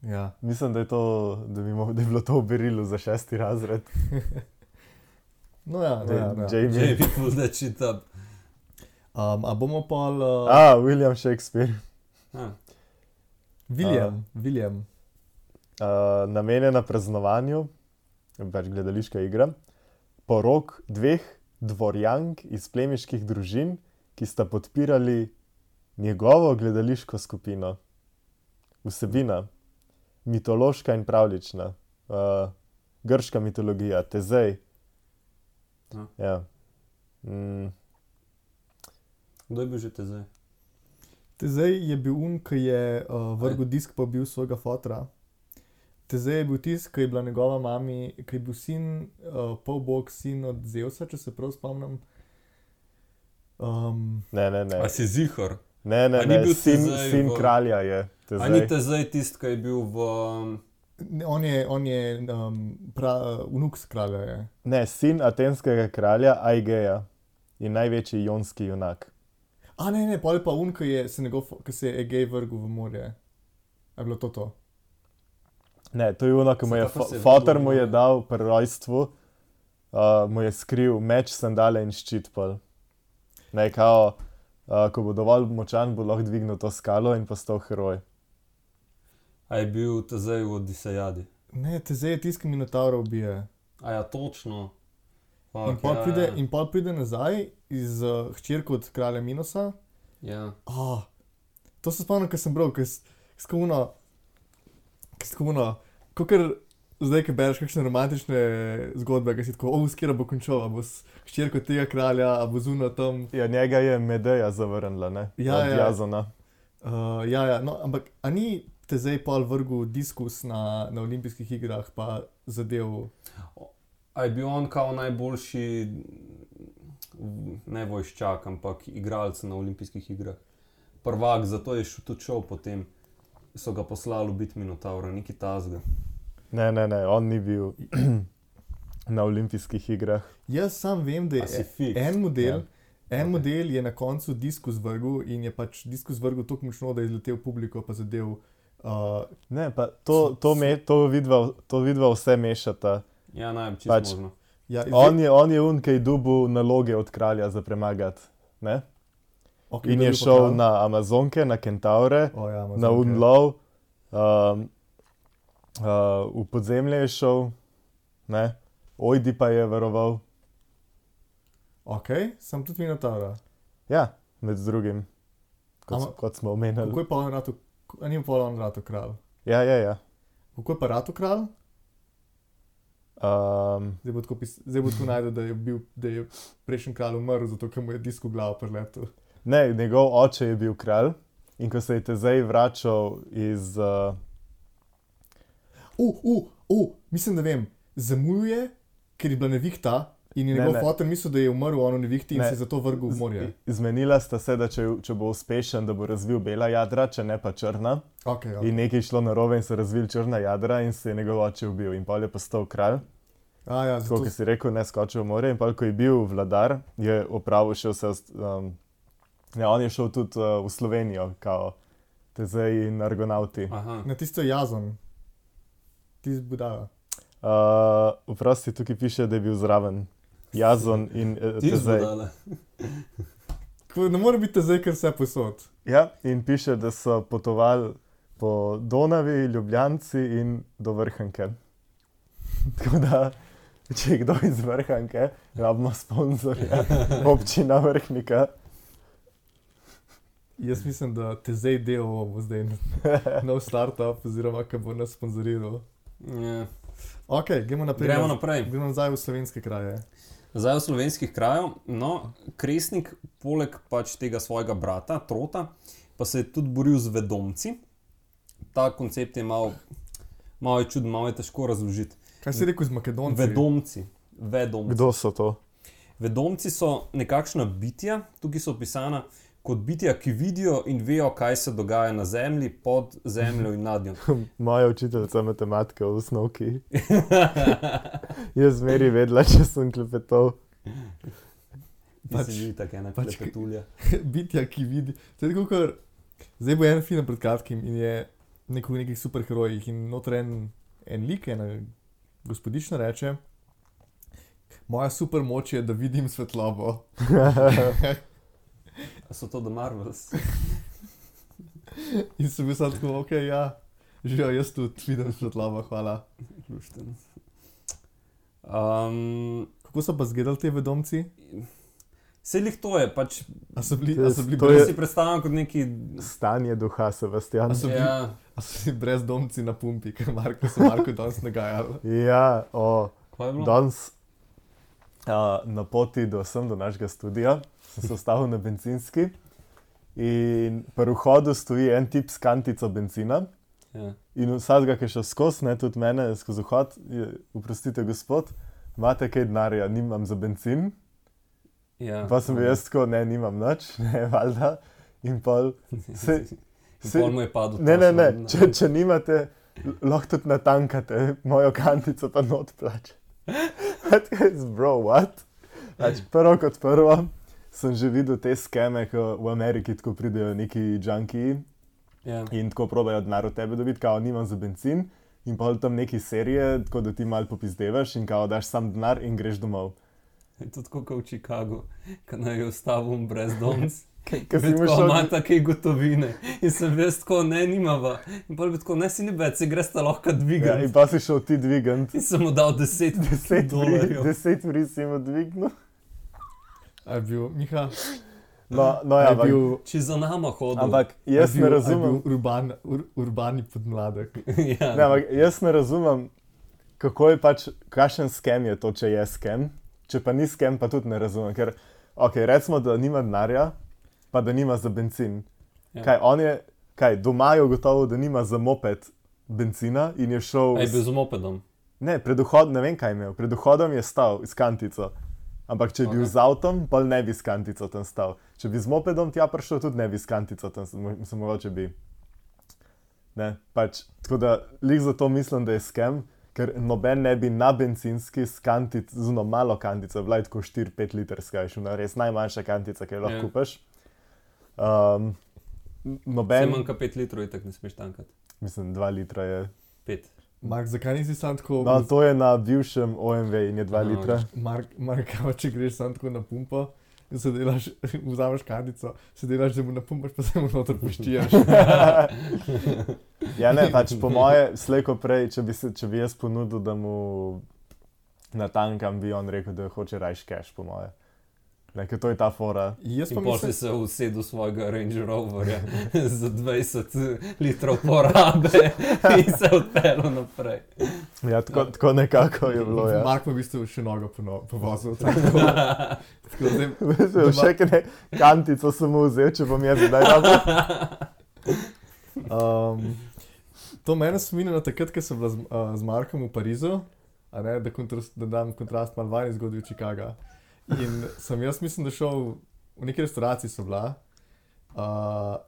Speaker 3: Ja.
Speaker 2: Mislim, da je bilo to v berilu za 6. razred.
Speaker 3: No ja, no ja, no ja.
Speaker 2: Jamie.
Speaker 1: Če bi bil da čitam.
Speaker 3: A bomo pa
Speaker 2: William Shakespeare.
Speaker 3: William.
Speaker 2: Namenjena praznovanju, pač gledališka igra, porok 2 dvorjank iz plemiških družin, ki sta podpirali njegovo gledališko skupino. Vsebina: mitološka in pravljična, grška mitologija, Tezej. Ja.
Speaker 1: Kdo je bil že te zdaj?
Speaker 3: Tezej je bil ki je vrgel disk pa bil svojega fotra. Tezej je bil tisti, ki je bila njegova mami, ki je bil sin, polbog sin od Zeusa, če se prav spomnim.
Speaker 2: Ne.
Speaker 1: A si zihar?
Speaker 2: Ne,
Speaker 1: A ni bil
Speaker 2: sin
Speaker 1: Tezej v-
Speaker 2: kralja je.
Speaker 1: A ni te zdaj tisti, ki je bil v...
Speaker 3: On je vnuk kralja je.
Speaker 2: Ne, sin atenskega kralja Aigeja in največji jonski junak.
Speaker 3: A ne, pol je pa ki se je Egej vrgel v morje. A je bilo to?
Speaker 2: Ne, to je ono, ki mu je
Speaker 1: Zakaj pa se je
Speaker 2: fotor
Speaker 1: vrgel v
Speaker 2: mu je
Speaker 1: morje?
Speaker 2: dal pri rojstvu, mu je skril meč, sandale in ščit pol. Ne, kao, ko bo dovolj močan, bo lahko dvignil to skalo in postal heroj.
Speaker 1: A je bil te zdaj v Odisejadi?
Speaker 3: Ne, Tezej je tisti, ki Minotaura ubije.
Speaker 1: A ja, točno.
Speaker 3: In pol pride nazaj z hčerko od kralja Minosa.
Speaker 1: Ja.
Speaker 3: To se spomnim, ko sem bral, kakor zdaj, ko bereš kakšne romantične zgodbe, ki si tako, s katero bo končal, a bo s hčerko tega kralja, a bo zunaj tam.
Speaker 2: Ja, njega je Medeja zavrnila, ne?
Speaker 3: Ja,
Speaker 2: Od
Speaker 3: ja.
Speaker 2: Jazona.
Speaker 3: No, ampak a ni Tezej pol vrgel diskus na olimpijskih igrah, pa zadev?
Speaker 1: A je bil on kao najboljši, ne vojščak, ampak igralec na olimpijskih igrah. Prvak, zato je tudi šel potem. So ga poslali ubiti Minotaura, neki tazga.
Speaker 2: Ne, on ni bil na olimpijskih igrah.
Speaker 3: Jaz sam vem, da
Speaker 1: A si
Speaker 3: je
Speaker 1: fiks?
Speaker 3: en model,
Speaker 2: Ja.
Speaker 3: model je na koncu diskus vrgel in je pač diskus vrgel tako močno, da je izletel v publiko, pa zadev.
Speaker 2: Ne, pa to vidva vse mešata.
Speaker 1: Ja, najbolj
Speaker 2: Pač-
Speaker 1: čisto možno.
Speaker 3: Ja,
Speaker 2: On je ki je dobil naloge od kralja za premagati, ne?
Speaker 3: Okay,
Speaker 2: in
Speaker 3: kdo
Speaker 2: je
Speaker 3: bil pa
Speaker 2: šel
Speaker 3: kralj?
Speaker 2: na Amazonke, na Kentaure,
Speaker 3: O, ja,
Speaker 2: na
Speaker 3: Amazonke.
Speaker 2: Unlov, v podzemlje je šel, ne? Ojdi pa je varoval.
Speaker 3: Ok, sem tudi Minotaura.
Speaker 2: Ja, med drugim, kot smo omenjali.
Speaker 3: Kako je pa on ratu, a ni pa on ratu kralj?
Speaker 2: Ja.
Speaker 3: Kako je pa ratu kralj? Zdaj bo tako najdel, da je prejšnji kralj umrl, zato ker mu je disk v glavo preletel.
Speaker 2: Ne, njegov oče je bil kralj in ko se je Tezej vračal iz...
Speaker 3: Mislim, da vem, zamujuje, ker je bila nevihta in je
Speaker 2: Ne,
Speaker 3: njegov
Speaker 2: ne.
Speaker 3: fotor mislil, da je umrl v ono nevihti in
Speaker 2: Ne.
Speaker 3: se je zato vrgel v morje.
Speaker 2: Zmenila sta se, da če bo uspešen, da bo razvil bela jadra, če ne pa črna.
Speaker 3: Okay.
Speaker 2: In nekaj je šlo narobe in so razvili črna jadra in se je njegov oče ubil. In pol je postal kralj,
Speaker 3: Ja,
Speaker 2: tako kot si rekel, ne skočil v morje. In pol, ko je bil vladar, je opravil še vse... on je šel tudi v Slovenijo, kao Tezej in Argonauti.
Speaker 1: Aha.
Speaker 3: Na tisto jazon. Tisto budala.
Speaker 2: Vprosti, tukaj piše, da je bil zraven Jazon in
Speaker 1: Ti
Speaker 2: Tezej.
Speaker 1: zbudale.
Speaker 3: Ne more biti zdaj, ker vse posod.
Speaker 2: Ja, in piše, da so potovali po Donavi, Ljubljanci in do Vrhanke. Tako da, če je kdo iz Vrhanke, rabimo sponzorja, občina Vrhnika.
Speaker 3: Jaz mislim, da Tezej DO bo zdaj nov startup, oziroma ki bo nas sponzoriral.
Speaker 1: Ja.
Speaker 3: Ok, gremo naprej.
Speaker 1: Gremo naprej.
Speaker 3: Gremo nazaj v slovenske kraje.
Speaker 1: Zdaj v slovenskih krajev, no, Kresnik, poleg pač tega svojega brata, Trota, pa se je tudi boril z vedomci. Ta koncept je malo je čuden, malo je težko razložiti.
Speaker 3: Kaj si rekel z Makedonci?
Speaker 1: Vedomci.
Speaker 2: Kdo so to?
Speaker 1: Vedomci so nekakšna bitja, tukaj so opisana kot bitja, ki vidijo in vejo, kaj se dogaja na zemlji, pod zemljo in nad njo.
Speaker 2: Moja učiteljica matematike v osnovki. Jaz zmeri vedela, če sem klepetal.
Speaker 1: Pač, si tako ena klepetulja.
Speaker 3: Bitja, ki vidi. To je tako, kot zdaj bo en film pred kratkim in je nekih superherojih in noter en lik, ena gospodična reče, moja super moč je, da vidim svetlobo.
Speaker 1: A so to The Marvels?
Speaker 3: In sem bil samo tako, ok, ja, živijo, jaz tudi vidim svetlobo, hvala.
Speaker 1: Lušten.
Speaker 3: Kako so pa zgledali te vedomci?
Speaker 1: Sej lih to je, pač
Speaker 3: A so bili
Speaker 2: To
Speaker 1: to
Speaker 2: je-
Speaker 1: si predstavljam kot neki...
Speaker 2: Stanje duha, Sebastian.
Speaker 3: A so bili-
Speaker 1: Ja,
Speaker 3: brezdomci na pumpi, ker so Marko danes nagajali.
Speaker 2: Ja,
Speaker 1: kaj je bilo?
Speaker 2: danes na poti sem do našega studia, sem se ustavil na bencinski in pri vhodu stoji en tip s kantico benzina.
Speaker 1: Ja.
Speaker 2: In vsakega, ki je šel skozi, ne, tudi mene, skozi vhod, oprostite, gospod, imate kaj denarja, nimam za bencin.
Speaker 1: Ja.
Speaker 2: Pa sem bil jaz tako, ne, nimam nič, ne, valjda. In pol,
Speaker 1: Pol mu je padel.
Speaker 2: ne, če nimate, lahko tudi natankate mojo kantico, pa not plače. Bro, what? Pač prvo kot prvo, sem že videl te skeme, ko v Ameriki tako pridejo neki junkiji
Speaker 1: Ja.
Speaker 2: in tako probajo denar od tebe dobiti, kao nimam za bencin. In pol tam neki serije, tako da ti malo popizdevaš in kao daš sam denar in greš domov.
Speaker 1: Je to tako kot v Chicagu, ko naj je ustavil brezdomc.
Speaker 2: Ker si
Speaker 1: Tako
Speaker 2: mu šel...
Speaker 1: ima take gotovine. In sem bil tako, ne, nimava. In pol bi tako, ne, si ni več, se greš ta lahko
Speaker 2: Ja,
Speaker 1: dvigati.
Speaker 2: in pa si šel ti dvigant.
Speaker 1: In sem mu dal 10 dolarjev.
Speaker 2: 10 vri si mu dvignil.
Speaker 3: A je bil Miha?
Speaker 2: No,
Speaker 3: A
Speaker 2: ja,
Speaker 3: je bil,
Speaker 1: Če za nama hodil.
Speaker 2: ampak jaz ne razumem.
Speaker 3: Urbani podmladek.
Speaker 1: Ja.
Speaker 2: Ne, ampak jaz ne razumem, kako je pač, kakšen skem je to, če je skem. Če pa ni skem, pa tudi ne razumem. Ker, ok, recimo, da nima denarja, pa da nima za bencin.
Speaker 1: Ja.
Speaker 2: Kaj, on je, doma je ugotovil, da nima za moped benzina in je šel...
Speaker 1: A je bil z mopedom.
Speaker 2: Ne, pred vhodom, ne vem kaj je imel, pred vhodom je stal s kantico. Ampak če je bil
Speaker 1: Ok.
Speaker 2: z avtom, pa ne bi s kantico tam stal. Če bi z mopedom tja prišel, tudi ne bi s kantico tam, mislim, mogoče bi. Ne, pač, tako da, lik zato mislim, da je skem, ker noben ne bi na bencinski s kantic, zelo malo kantico, bila je tako 4-5 litrska, je šla res najmanjša kantica, ki jo lahko
Speaker 1: Ja.
Speaker 2: kupaš.
Speaker 1: Vse
Speaker 2: Noben,
Speaker 1: manjka 5 litrov, in tako ne smeš tankati.
Speaker 2: mislim, 2 litra je.
Speaker 1: 5.
Speaker 3: Mark, zakaj nisi sam tako...
Speaker 2: No, to je na bivšem OMV in je 2
Speaker 1: Aha,
Speaker 2: litra.
Speaker 3: Mark, če greš sam tako na pumpo, se delaš, vzameš kandico, se delaš, da mu napumpaš, pa se mu noter poščijaš.
Speaker 2: Ja, ne, pač po moje, slejko prej, če bi jaz ponudil, da mu natankam, bi on rekel, da hoče rajš cash, po moje. Ker to je ta fora.
Speaker 3: Jaz pa
Speaker 1: In potem si se usedel svojega Range Roverja za 20 litrov porabe in se odpeljal naprej.
Speaker 2: Ja, tako nekako je bilo, ja.
Speaker 3: Mark pa v bistvu še nogo povozil.
Speaker 2: Še kaj kantico sem mu vzel, če bom jaz zdaj rabil.
Speaker 3: To mene spominja na takrat, ko sem bila z Markom v Parizu, a ne, da dam kontrast malo vajni zgodbi v Chicaga. In sem jaz mislim, da šel v neki restauraciji so bila,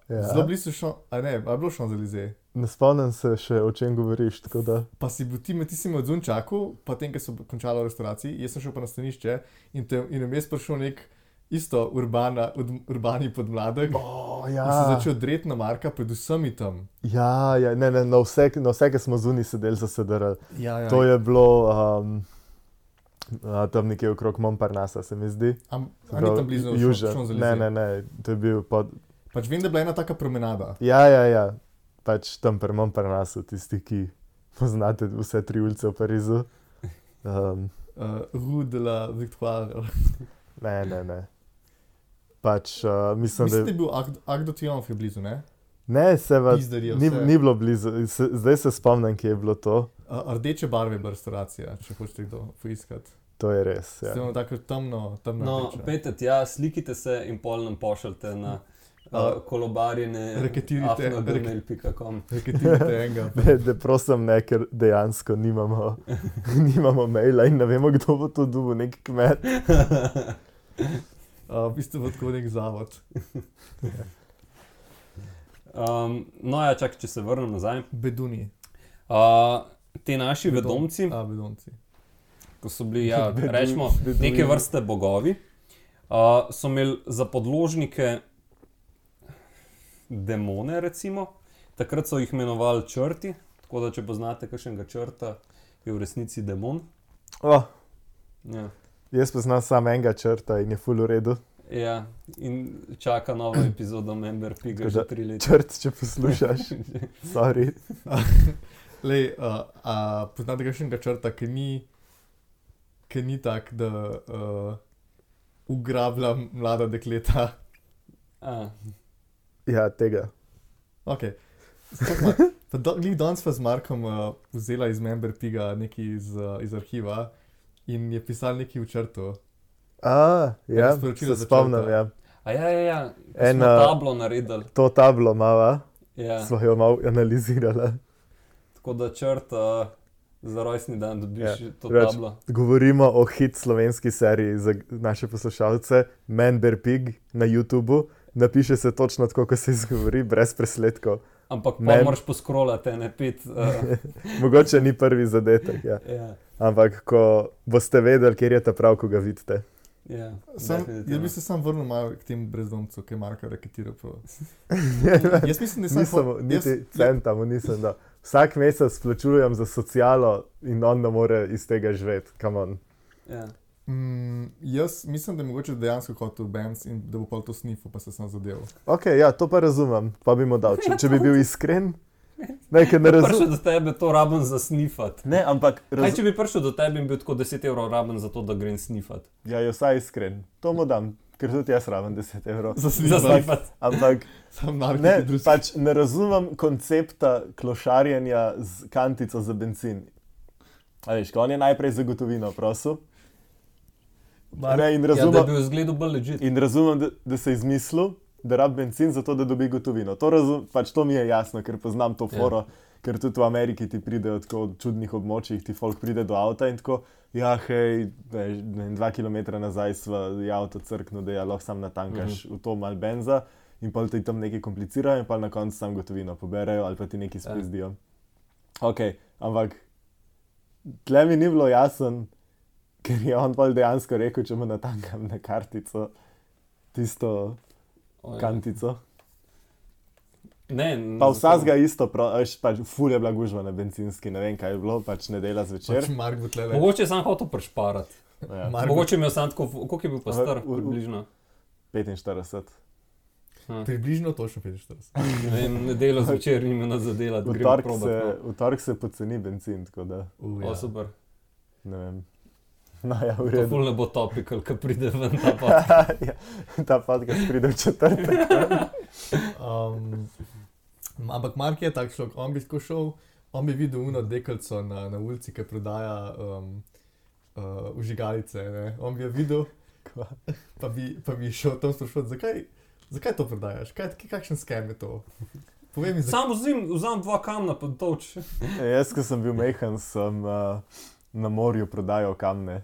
Speaker 3: zelo blizu a je bilo Champs-Élysées.
Speaker 2: Ne spomnim se še, o čem govoriš, tako da.
Speaker 3: Pa si bil ti me odzun čakal, pa tem, ko so končali v restauraciji, jaz sem šel pa na stanišče in vmes prišel nek isto urbani podmladek.
Speaker 2: Ja.
Speaker 3: In se začel dreti na Marka, predvsem i tam.
Speaker 2: Ja, ne, na vse, ki smo zunaj sedeli za sedel.
Speaker 3: Ja.
Speaker 2: To je bilo tam nekje okrog Montparnassa, se mi zdi.
Speaker 3: A ni tam blizu
Speaker 2: Champs-Élysées? Ne, to je bil pod...
Speaker 3: Pač vem, da je bila ena taka promenada.
Speaker 2: Ja. Pač tam pri Montparnassu, tisti, ki poznate vse 3 ulice v Parizu.
Speaker 3: Rue de la Victoire.
Speaker 2: Ne. Pač mislim,
Speaker 3: da je bil Arc de Triomphe blizu, ne?
Speaker 2: Ne, ni bilo blizu. Zdaj se spomnim, kje je bilo to.
Speaker 3: Rdeče barve je bila restauracija, če hočete kdo poiskati.
Speaker 2: To je res, ja.
Speaker 3: Ste tako temno
Speaker 1: rdeče. Pejte tja, slikite se in pol nam pošljite na kolobarjene afnogmail.com.
Speaker 3: Reketirite enega.
Speaker 2: Da prosim ne, ker dejansko nimamo maila in ne vemo, kdo bo to dobil, nek kmet.
Speaker 3: V bistvu bo tako nek zavod.
Speaker 1: No ja, čakaj, če se vrnem nazaj.
Speaker 3: Beduni.
Speaker 1: Te naši vedomci,
Speaker 3: Vedomci.
Speaker 1: ko so bili, rečemo, neke vrste bogovi, so imeli za podložnike demone, recimo. Takrat so jih imenovali črti, tako da če poznate kakšnega črta, je v resnici demon. Ja.
Speaker 2: Jaz poznam samo enega črta in je ful v redu.
Speaker 1: Ja, in čaka nova epizoda Member Piga že 3 leta.
Speaker 2: Črt, če poslušaš, sorry.
Speaker 3: Lej, poznate kakšnega črta, ki ni tak, da ugrablja mlada dekleta?
Speaker 2: Ja, tega.
Speaker 3: Ok. Danes pa z Markom vzela iz Member Piga nekaj iz arhiva in je pisal nekaj v črtu.
Speaker 2: Ja, se spomnim, ja.
Speaker 1: Ja, smo tablo naredili.
Speaker 2: To tablo mava,
Speaker 1: ja.
Speaker 2: Smo jo malo analizirali.
Speaker 1: Tako da črt za rojstni dan dobiš to tablo.
Speaker 2: Govorimo o hit slovenski seriji za naše poslušalce, Member Pig na YouTubu. Napiše se točno tako, kot se izgovori, brez presledkov.
Speaker 1: Ampak pa moraš poskrolati, ne pet.
Speaker 2: Mogoče ni prvi zadetek, ja.
Speaker 1: Ja.
Speaker 2: Ampak ko boste vedeli, kjer je ta prav, ko ga vidite.
Speaker 1: Ja,
Speaker 3: jaz bi se sam vrnil malo k temu brezdomcu, ki je Marka reketiral. Jaz mislim, da
Speaker 2: niti centa mu nisem dal. Vsak mesec plačujem za socialo in on ne more iz tega živeti. Come on.
Speaker 1: Ja.
Speaker 3: Jaz mislim, da je mogoče dejansko hotel Benz in da bo pa to snifal, pa se sam zadeval.
Speaker 2: Ok, ja, to pa razumem, pa bi mu dal. Če bi bil iskren, ne razumem.
Speaker 1: Prišel do tebe, to raben za snifat.
Speaker 2: Ne, ampak...
Speaker 1: Kaj, če bi prišel do tebe in bil tako 10 € raben za to, da grem snifat?
Speaker 2: Ja, je vsaj iskren. To mu dam, ker tudi jaz raben 10 €.
Speaker 3: Za snifat.
Speaker 2: Ampak pač ne razumem koncepta klošarjenja z kantico za bencin. A veš, ko on je najprej za gotovino prosil.
Speaker 1: Da je bil zgledu bolj legit.
Speaker 2: In razumem, da se je izmislil, da rabi bencin za to, da dobi gotovino. To mi je jasno, ker poznam to foro, ker tudi v Ameriki ti pridejo tako od čudnih območjih, ti folk pride do avta in tako, ja, hej, 2 kilometra nazaj sva avto crknil, da lahko sam natankaš v to malo benza in pa ti tam nekaj komplicirajo in pa na koncu sam gotovino poberejo ali pa ti nekaj spizdijo. Ok, ampak tle mi ni bilo jasen, ker je on pa dejansko rekel, če mu natankam na kartico tisto kantico.
Speaker 1: Ne,
Speaker 2: pa vsazga isto, pač ful je bila gužva na bencinski, ne vem kaj je bilo, pač nedela zvečer.
Speaker 1: Mogoče je sam hotel prešparati.
Speaker 2: Ja.
Speaker 1: Mogoče imel sam tako, koliko je bil pa star približno?
Speaker 2: 45.
Speaker 3: Približno točno 45.
Speaker 1: Ne vem, nedeljo zvečer nima nas zadelati, gremo probat.
Speaker 2: V torek se poceni benzin, tako da
Speaker 1: O, super.
Speaker 2: ne vem. No, ja, v
Speaker 1: To
Speaker 2: redu.
Speaker 1: ful ne bo topical, ko pride ven ta podcast.
Speaker 2: Ja, ta podcast pride v četrtek.
Speaker 3: Ampak Mark je tak človek, on bi tako šel, on bi videl uno deklico na ulici, ki prodaja vžigalice, ne. On bi jo videl, pa bi šel tam sprašovati, zakaj to prodajaš, kakšen scam je to? Povej mi,
Speaker 1: Sam vzam 2 kamna pa toč.
Speaker 2: Jaz, ko sem bil mehen, sem na morju prodajal kamne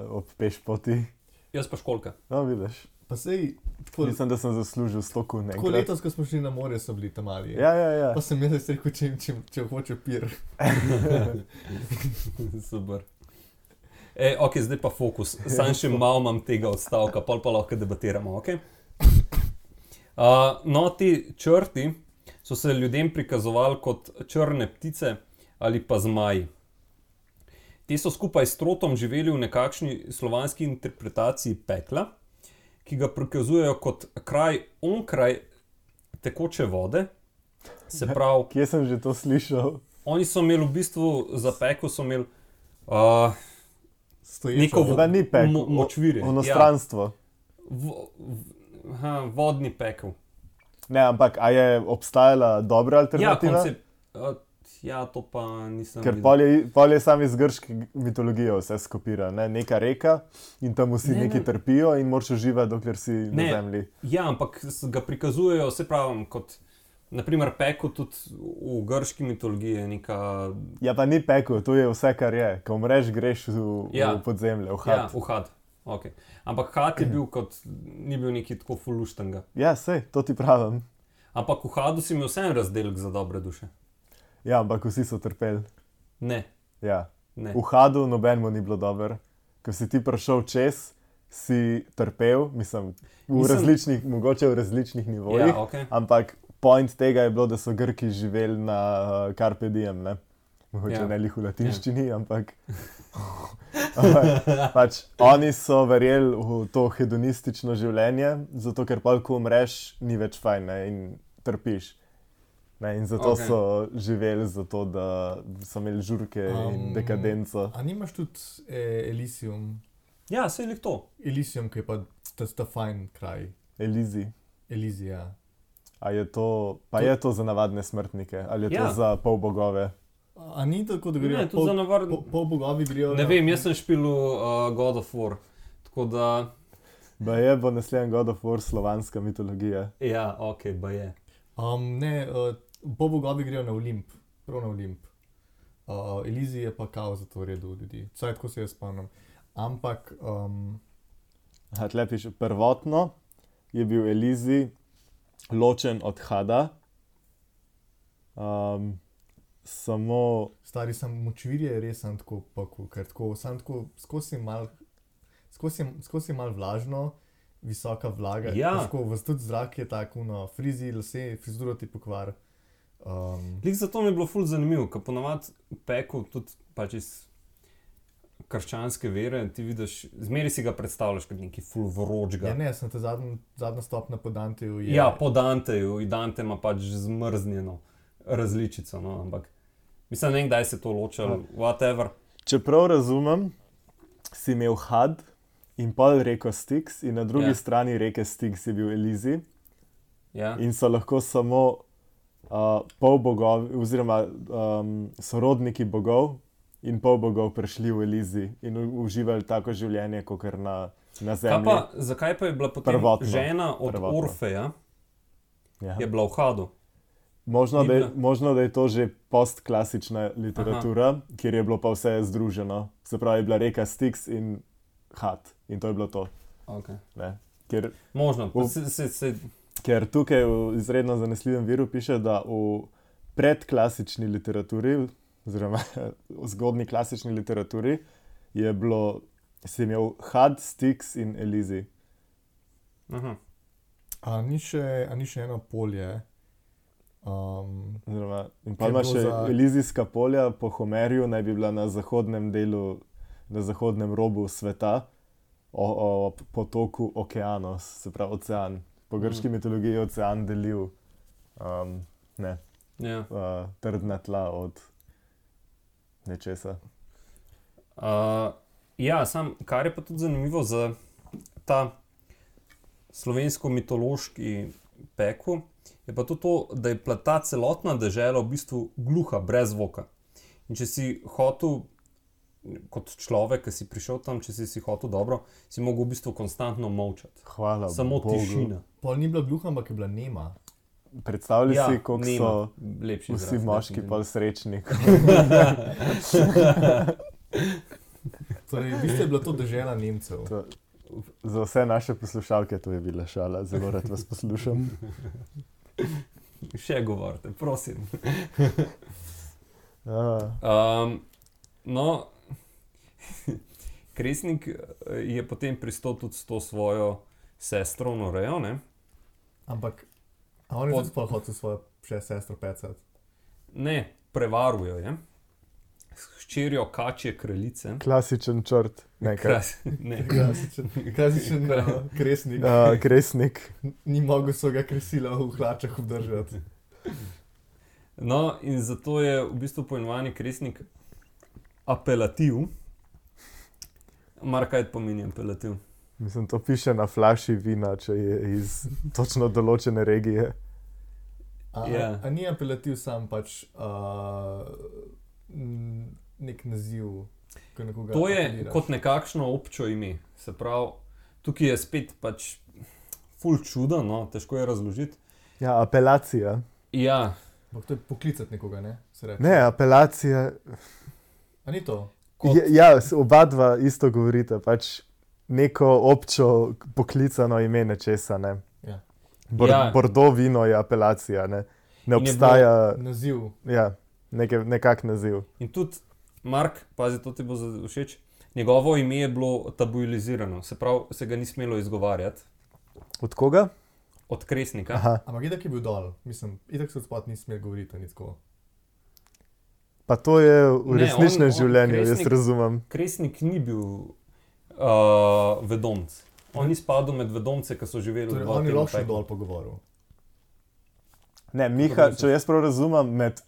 Speaker 2: ob pešpoti.
Speaker 1: Jaz pa školka.
Speaker 2: No, vidiš.
Speaker 3: Pa sej, tako
Speaker 2: Mislim, da sem zaslužil 100 kun enkrat.
Speaker 3: letos, ko smo šli na morje, so bili tam mali.
Speaker 2: Ja.
Speaker 3: Pa sem jaz rekel, če hoče pir.
Speaker 1: Super. Ok, zdaj pa fokus. Sam še malo imam tega odstavka, pol pa lahko debatiramo, ok? No, ti črti so se ljudem prikazovali kot črne ptice ali pa zmaji. Ti so skupaj s trotom živeli v nekakšni slovanski interpretaciji pekla, ki ga prikazujejo kot kraj onkraj tekoče vode. Se pravi,
Speaker 2: Kje sem že to slišal?
Speaker 1: oni so imeli v bistvu za pekel, so imeli
Speaker 3: Stoječo.
Speaker 1: neko
Speaker 2: Da ni pekel,
Speaker 1: močvirje.
Speaker 2: onostranstvo.
Speaker 1: Vodni pekel.
Speaker 2: Ne, ampak a je obstajala dobra
Speaker 1: Ja,
Speaker 2: alternativa?
Speaker 1: koncept. Ja, to pa nisem
Speaker 2: Ker
Speaker 1: videl.
Speaker 2: pol je sam iz grške mitologije vse skopira, ne? Neka reka in tam vsi
Speaker 1: Ne,
Speaker 2: neki
Speaker 1: ne.
Speaker 2: trpijo in moraš uživati, dokler si na
Speaker 1: Ne.
Speaker 2: zemlji.
Speaker 1: Ja, ampak ga prikazujejo, se pravim, kot naprimer pekel tudi v grški mitologiji je neka...
Speaker 2: Ja, pa ni pekel, to je vse, kar je. Ko umreš, greš v podzemlje, v had.
Speaker 1: Ja, v had. Okay. Ampak had je bil kot, ni bil neki tako fuluštanga.
Speaker 2: Ja, sej, to ti pravim.
Speaker 1: Ampak v hadu si imel vsem razdelek za dobre duše.
Speaker 2: Ja, ampak vsi so trpeli.
Speaker 1: Ne,
Speaker 2: Ja.
Speaker 1: ne.
Speaker 2: V hadu nobenemu ni bilo dobro. Ko si ti prišel čez, si trpel, mislim, mogoče v različnih nivojih,
Speaker 1: Ja, okay.
Speaker 2: ampak point tega je bilo, da so Grki živeli na Carpe Diem, ne? Mogoče
Speaker 1: Ja.
Speaker 2: ne lih v latinščini, ampak pač oni so verjeli v to hedonistično življenje, zato ker pa, ko umreš, ni več fajn, ne? In trpiš. Ne, in zato
Speaker 1: Okej.
Speaker 2: so živeli, zato da so imeli žurke in dekadenco.
Speaker 3: A nimaš tudi Elysium?
Speaker 1: Ja, se je to.
Speaker 3: Elysium, ki je pa ta fajn kraj.
Speaker 2: Elizi.
Speaker 3: Elizija.
Speaker 2: A je to, pa je to za navadne smrtnike ali je to
Speaker 1: Ja.
Speaker 2: za polbogove?
Speaker 3: A ni tako, da grejo
Speaker 1: Ne, tudi za navadne.
Speaker 3: pol bogovi grejo
Speaker 1: Ne vem, jaz sem špil God of War. Tako da,
Speaker 2: Baje bo naslednji God of War slovanska mitologija.
Speaker 1: ja, ok, ba je.
Speaker 3: Ne, pol bogovi grejo na Olimp, prav na Olimp. Elizij je pa kao za to redu ljudi. Vsaj tako se jaz spomnim. Ampak,
Speaker 2: Tle piše, prvotno je bil Elizi ločen od Hada. Samo
Speaker 3: stari sam močvirje je res sam tako pakul, ker tako, sam tako skozi mal vlažno, visoka vlaga.
Speaker 1: Ja.
Speaker 3: Tako, tudi zrak je tako, no, frizi, lase, frizuro ti pokvar.
Speaker 1: Lik zato mi je bilo ful zanimivo, ker ponavadi pekel tudi pač iz krščanske vere, ti vidiš, zmeri si ga predstavljaš kot neki ful vročga.
Speaker 3: Ja, ne, sem te zadnja stopna po Danteju je...
Speaker 1: Ja, po Danteju, in Dante ima pač zmrznjeno različico, no, ampak mislim, ne vem, kdaj se to ločalo, whatever.
Speaker 2: če prav razumem, si imel Had in pol reko Styx in na drugi
Speaker 1: Ja.
Speaker 2: strani reke Styx je bil Elizi
Speaker 1: Ja.
Speaker 2: in so lahko samo polbogovi oziroma sorodniki bogov in polbogov prišli v Elizi in uživali tako življenje, kot na
Speaker 1: Kaj
Speaker 2: zemlji.
Speaker 1: pa, zakaj pa je bila potem
Speaker 2: Prvotno.
Speaker 1: žena od
Speaker 2: Prvotno.
Speaker 1: Orfeja,
Speaker 2: Ja.
Speaker 1: je bila v Hadu?
Speaker 2: Možno,
Speaker 1: Ni bila.
Speaker 2: možno, da je to že postklasična literatura, kjer je bilo pa vse združeno. Se pravi, je bila reka Styx in Had in to je bilo to.
Speaker 1: Okay.
Speaker 2: Ne? Ker
Speaker 1: Možno,
Speaker 2: V- Ker tukaj v izredno zanesljivem viru piše, da v predklasični literaturi, oziroma v zgodni klasični literaturi, je bilo, si imel Had, Styx in Elizi.
Speaker 1: Aha.
Speaker 3: A ni še eno polje?
Speaker 2: Oziroma, in pa
Speaker 3: Ker
Speaker 2: ima
Speaker 3: bilo
Speaker 2: še
Speaker 3: za-
Speaker 2: Elizijska polja po Homerju, naj bi bila na zahodnem delu, na zahodnem robu sveta. o potoku Okeanos, se pravi ocean. Po grški mitologiji je ocean delil
Speaker 1: Ja.
Speaker 2: trdna tla od nečesa.
Speaker 1: Ja, kar je pa tudi zanimivo za ta slovensko-mitološki pekel, je pa tudi to, da je ta celotna dežela v bistvu gluha, brez zvoka. In če si hotel, kot človek, ki si prišel tam, če si hotel dobro, si mogel v bistvu konstantno molčati.
Speaker 2: Hvala
Speaker 1: Samo
Speaker 2: Bogu.
Speaker 1: tišina.
Speaker 3: Pol ni bila gluha, ampak je bila nema.
Speaker 2: Predstavljaj si, koliko
Speaker 1: nema.
Speaker 2: so
Speaker 1: Lepši
Speaker 2: vsi
Speaker 1: izraz,
Speaker 2: moški
Speaker 1: definitivno.
Speaker 2: pol srečni.
Speaker 3: Torej, v bistvu je bila to dežela Nemcev.
Speaker 2: Za vse naše poslušalke to je bila šala, zelo rad vas poslušam.
Speaker 1: Še govorite, prosim.
Speaker 2: Ja.
Speaker 1: No, Kresnik je potem pristal tudi s to svojo sestro Norejo, ne?
Speaker 3: Ampak, a on je tudi sploh hotel svojo še sestro pecati?
Speaker 1: Ne, prevarujo je. Hčerjo kačje kraljice.
Speaker 2: Klasičen črt. Ne,
Speaker 1: Ne.
Speaker 3: Klasičen kresnik.
Speaker 2: Kresnik.
Speaker 3: Ni mogel svojega kresila v hlačah obdržati.
Speaker 1: No, in zato je v bistvu poimenovani Kresnik apelativ. Mar kaj pomeni apelativ?
Speaker 2: Mislim, to piše na flaši vina, če je iz točno določene regije.
Speaker 3: A ni apelativ sam pač nek naziv, ko nekoga
Speaker 1: To je
Speaker 3: apeliraš?
Speaker 1: kot nekakšno občo ime. Se pravi, tukaj je spet pač ful čudo, no, težko je razložiti.
Speaker 2: Ja, apelacija.
Speaker 1: Ja,
Speaker 3: Ampak to je poklicati nekoga, ne? Se reče.
Speaker 2: Ne, apelacija.
Speaker 3: A ni to?
Speaker 2: Oba dva isto govorite, pač neko občo poklicano ime nečesa, ne.
Speaker 3: Ja.
Speaker 2: Bordeaux vino je apelacija, ne. Ne
Speaker 1: In je
Speaker 2: obstaja,
Speaker 3: Naziv.
Speaker 2: ja, nekak naziv.
Speaker 1: in tudi Mark, pazi, to ti bo všeč, njegovo ime je bilo tabuizirano, se pravi, se ga ni smelo izgovarjati
Speaker 2: Od koga?
Speaker 1: od Kresnika.
Speaker 2: Aha.
Speaker 3: Ampak itak je bil dol. Mislim, itak se odspod ni smel govoriti, ni tako.
Speaker 2: Pa to je v
Speaker 1: Ne,
Speaker 2: resničnem
Speaker 1: on
Speaker 2: življenju, jaz
Speaker 1: Kresnik-
Speaker 2: razumem.
Speaker 1: Kresnik ni bil vedomc. On ni spadal med vedomce, ki so živeli
Speaker 3: Torej,
Speaker 1: v
Speaker 3: on je
Speaker 1: tem
Speaker 3: lahko še
Speaker 1: peklu.
Speaker 3: dol pogovoril.
Speaker 2: Ne, Miha, če jaz prav razumem, med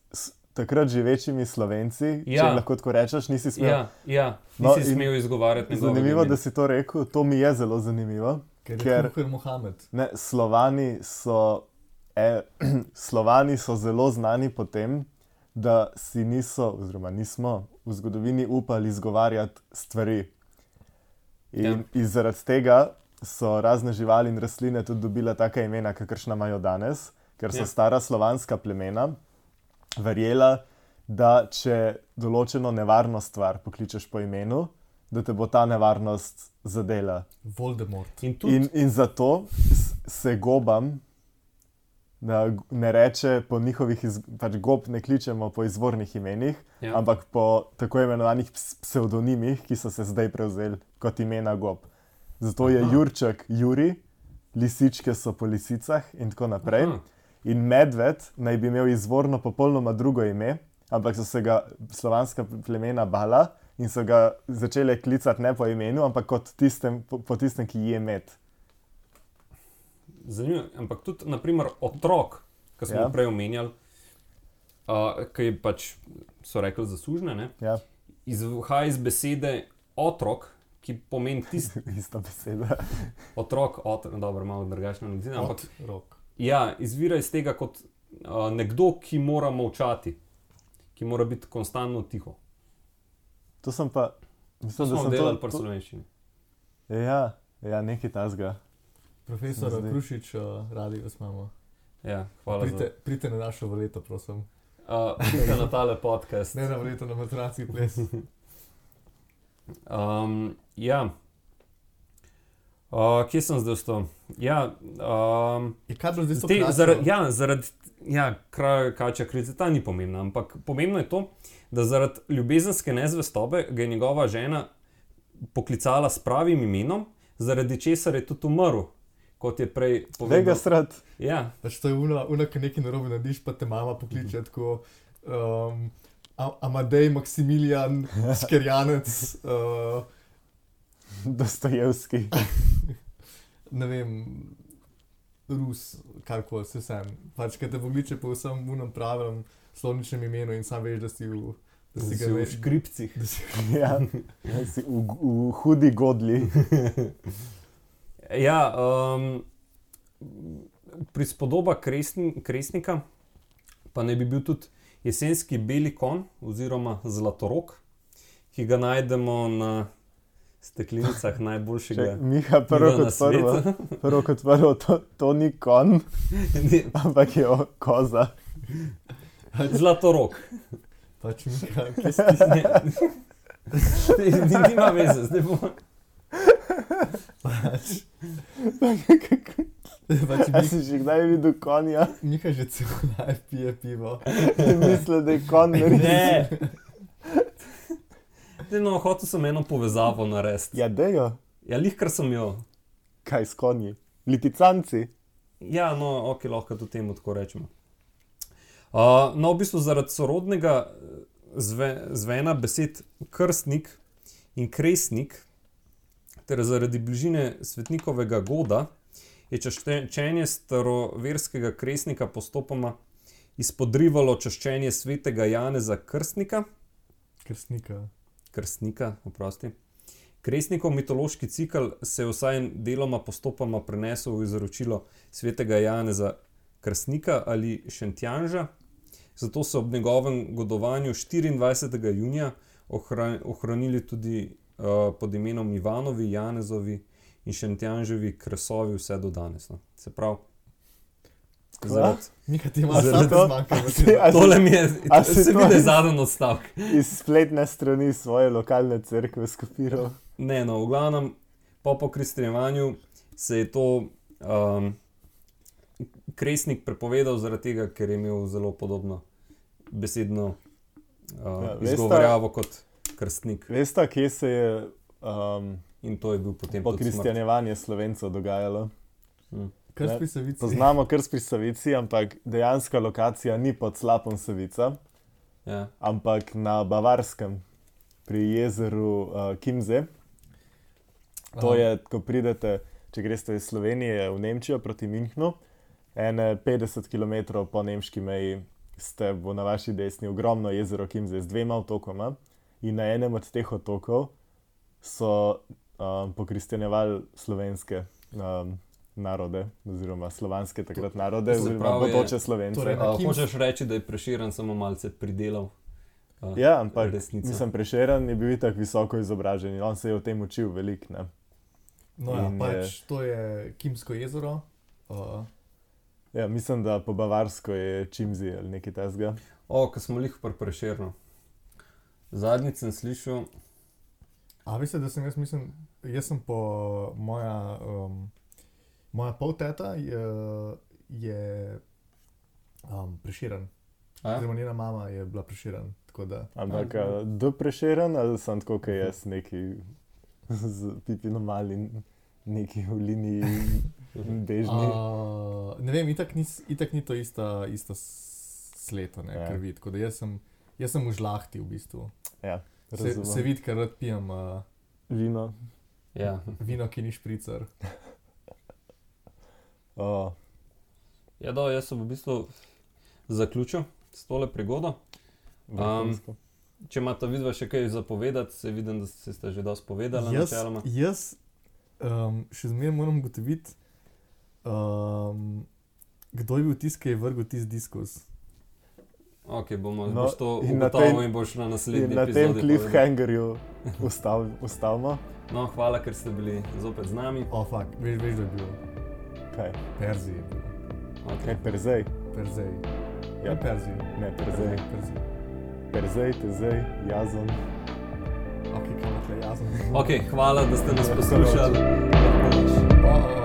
Speaker 2: takrat živečimi Slovenci, če
Speaker 1: Ja.
Speaker 2: lahko tako rečeš, nisi smel.
Speaker 1: Ja,
Speaker 2: No,
Speaker 1: nisi
Speaker 2: in
Speaker 1: smel izgovarjati njegovega
Speaker 2: Zanimivo,
Speaker 1: imena.
Speaker 2: da si to rekel, to mi je zelo zanimivo.
Speaker 3: Ker je Mohamed.
Speaker 2: Ne, Slovani so zelo znani po tem, da si niso, oziroma nismo v zgodovini upali izgovarjati stvari. In zaradi tega so razne živali in rastline tudi dobile taka imena, kakršna imajo danes, ker so stara slovanska plemena verjela, da če določeno nevarno stvar pokličeš po imenu, da te bo ta nevarnost zadela.
Speaker 3: Voldemort.
Speaker 1: In
Speaker 2: zato se gobam ne reče po njihovih, pač gob ne kličemo po izvornih imenih, ampak po tako imenovanih psevdonimih, ki so se zdaj prevzeli kot imena gob. Zato je Jurček Juri, lisičke so po lisicah in tako naprej. In medved naj bi imel izvorno popolnoma drugo ime, ampak so se ga slovanska plemena bala in so ga začele klicati ne po imenu, ampak kot po tistem, ki je med.
Speaker 1: Zanimivo, ampak tudi, naprimer, otrok, ki smo prej omenjali, ki je pač, so rekli, zaslužne, ne?
Speaker 2: Ja.
Speaker 1: Izhaja iz besede otrok, ki pomeni tisti.
Speaker 2: Ista beseda.
Speaker 1: Otrok, dobro, malo drugačno analizirano, ampak
Speaker 3: Otrok.
Speaker 1: ja, izvira iz tega kot nekdo, ki mora molčati, ki mora biti konstantno tiho.
Speaker 2: To sem pa, mislim,
Speaker 1: To
Speaker 2: da
Speaker 1: smo
Speaker 2: sem
Speaker 1: delali pri slovenščini.
Speaker 2: Ja, nekaj tasga.
Speaker 3: Profesor Krušič, radi vas imamo.
Speaker 1: Ja, hvala
Speaker 3: Pridite na našo valeto, prosim.
Speaker 1: Pridite na tale podcast.
Speaker 3: Ne na valeto, na matraci ples.
Speaker 1: Ja. Kje sem zdaj ostal? Ja,
Speaker 3: Kaj bo zdaj to
Speaker 1: zaradi kačja kraljica, ta ni pomembna, ampak pomembno je to, da zaradi ljubezenske nezvestobe ga je njegova žena poklicala s pravim imenom, zaradi česar je tudi umrl, kot je prej povedal.
Speaker 2: Vega srat.
Speaker 1: Ja.
Speaker 3: Pač to je ki nekaj narobe narediš, pa te mama pokliče tako Amadej Maksimilijan Skerjanec.
Speaker 2: Dostojevski.
Speaker 3: Ne vem, Rus, karkoli, se sem. Pač, kaj te pokliče po vsem munem pravem slovničnem imenu in sam veš, da si ga
Speaker 1: v škripcih.
Speaker 2: Ja, si v hudi godli.
Speaker 1: Ja, prispodoba kresnika pa naj bi bil tudi jesenski beli konj oziroma zlatorog, ki ga najdemo na steklenicah najboljšega
Speaker 2: Miha, prvo kot prvo, to ni konj, ampak je koza.
Speaker 1: Zlatorog.
Speaker 3: Pač Miha, kje si?
Speaker 1: Nima veze, zdaj bomo.
Speaker 2: A si že kdaj videl konja?
Speaker 3: Miha že celo live pije pivo.
Speaker 2: Misli, da je konj
Speaker 1: Ne. No, hotel sem eno povezavo narediti.
Speaker 2: Ja, dejo.
Speaker 1: Ja, lihkar sem jo.
Speaker 2: Kaj s konji? Liticanci?
Speaker 1: Ja, no, ok, lahko tudi temu tako rečemo. No, v bistvu zaradi sorodnega zvena besed krstnik in kresnik, ter zaradi bližine svetnikovega goda, je čaščenje staroverskega kresnika postopoma izpodrivalo čaščenje svetega Janeza Krstnika. Krstnika, oprosti. Kresnikov mitološki cikel se je vsaj deloma postopoma prenesel v izročilo svetega Janeza Krstnika ali Šentjanža, zato so ob njegovem godovanju 24. junija ohranili tudi pod imenom Ivanovi, Janezovi in Šentjanževi kresovi vse do danes. No. Se pravi,
Speaker 3: Miha, ti imaš to zmanjkalo.
Speaker 1: Tole mi je, se vidi zadnji odstavek.
Speaker 2: Iz spletne strani svoje lokalne cerkve skopiral.
Speaker 1: Ne, no, v glavnem, po kristjanjevanju se je to kresnik prepovedal zaradi tega, ker je imel zelo podobno besedno izgovorjavo kot krstnik.
Speaker 2: Veste, kje se je
Speaker 1: in to je bil potem
Speaker 2: po kristjanjevanje Slovencev dogajalo?
Speaker 3: Krst pri Savici.
Speaker 2: Poznamo Krst pri Savici, ampak dejanska lokacija ni pod slapom Savica,
Speaker 1: ja.
Speaker 2: Ampak na Bavarskem, pri jezeru Kimze. To je, ko pridete, če greste iz Slovenije v Nemčijo proti Münchnu, 50 km po nemški meji ste na vaši desni ogromno jezero Kimze z 2 otokoma in na enem od teh otokov so pokristjanjevali slovenske narode, oziroma slovanske takrat narode, oziroma bodoče Slovence.
Speaker 1: Hočeš reči, da je Prešeren samo malce pridelal
Speaker 2: ja, ampak
Speaker 1: resnico.
Speaker 2: Mislim, Prešeren je bil itak visoko izobražen in on se je o tem učil veliko, ne?
Speaker 3: No ja, pač to je Kimsko jezero.
Speaker 2: Ja, mislim, da po bavarsko je Čimzi ali nekaj tasga.
Speaker 1: Ko smo lih pri Prešernu. Zadnjič sem slišal...
Speaker 3: veste, da sem jaz sem po moja polteta je Prešeren. Oziroma njena mama je bila Prešeren, tako da...
Speaker 2: Ampak do Prešeren ali sem tako, kaj jaz neki z Pipino Mali neki v liniji bežni?
Speaker 3: Ne vem, itak ni to ista sleta, ne,
Speaker 2: Ja.
Speaker 3: krvi, tako da jaz sem v žlahti v bistvu.
Speaker 2: Ja,
Speaker 3: Se vidi, ker rad pijem
Speaker 2: vino.
Speaker 1: Ja.
Speaker 3: vino, ki ni špricer.
Speaker 1: Ja, jaz sem v bistvu zaključil s tole prigodo.
Speaker 2: Vrhunsko.
Speaker 1: Če imate vidva še kaj zapovedati, se vidim, da ste že dosti povedali načeloma.
Speaker 3: Jaz še zmeraj moram ugotoviti, kdo je bil tisti, ki je vrgel tisti diskus.
Speaker 1: Ok, boš to
Speaker 2: in na
Speaker 1: ugotovil in boš na naslednji
Speaker 2: In na tem
Speaker 1: epizodi
Speaker 2: cliffhangerju ustavimo.
Speaker 1: No, hvala, ker ste bili zopet z nami.
Speaker 3: Fuck, veš, da je bil
Speaker 2: Kaj?
Speaker 3: Perzij. je bil.
Speaker 2: Kaj, Perzej?
Speaker 3: Perzej.
Speaker 2: Ja.
Speaker 3: Ne Perzij.
Speaker 2: Ne, Perzej.
Speaker 3: Perzij.
Speaker 2: Perzej, Tezej, Jazon.
Speaker 3: Ok, kaj ima tle jazno?
Speaker 1: Ok, hvala, da ste nas poslušali.
Speaker 3: Bye.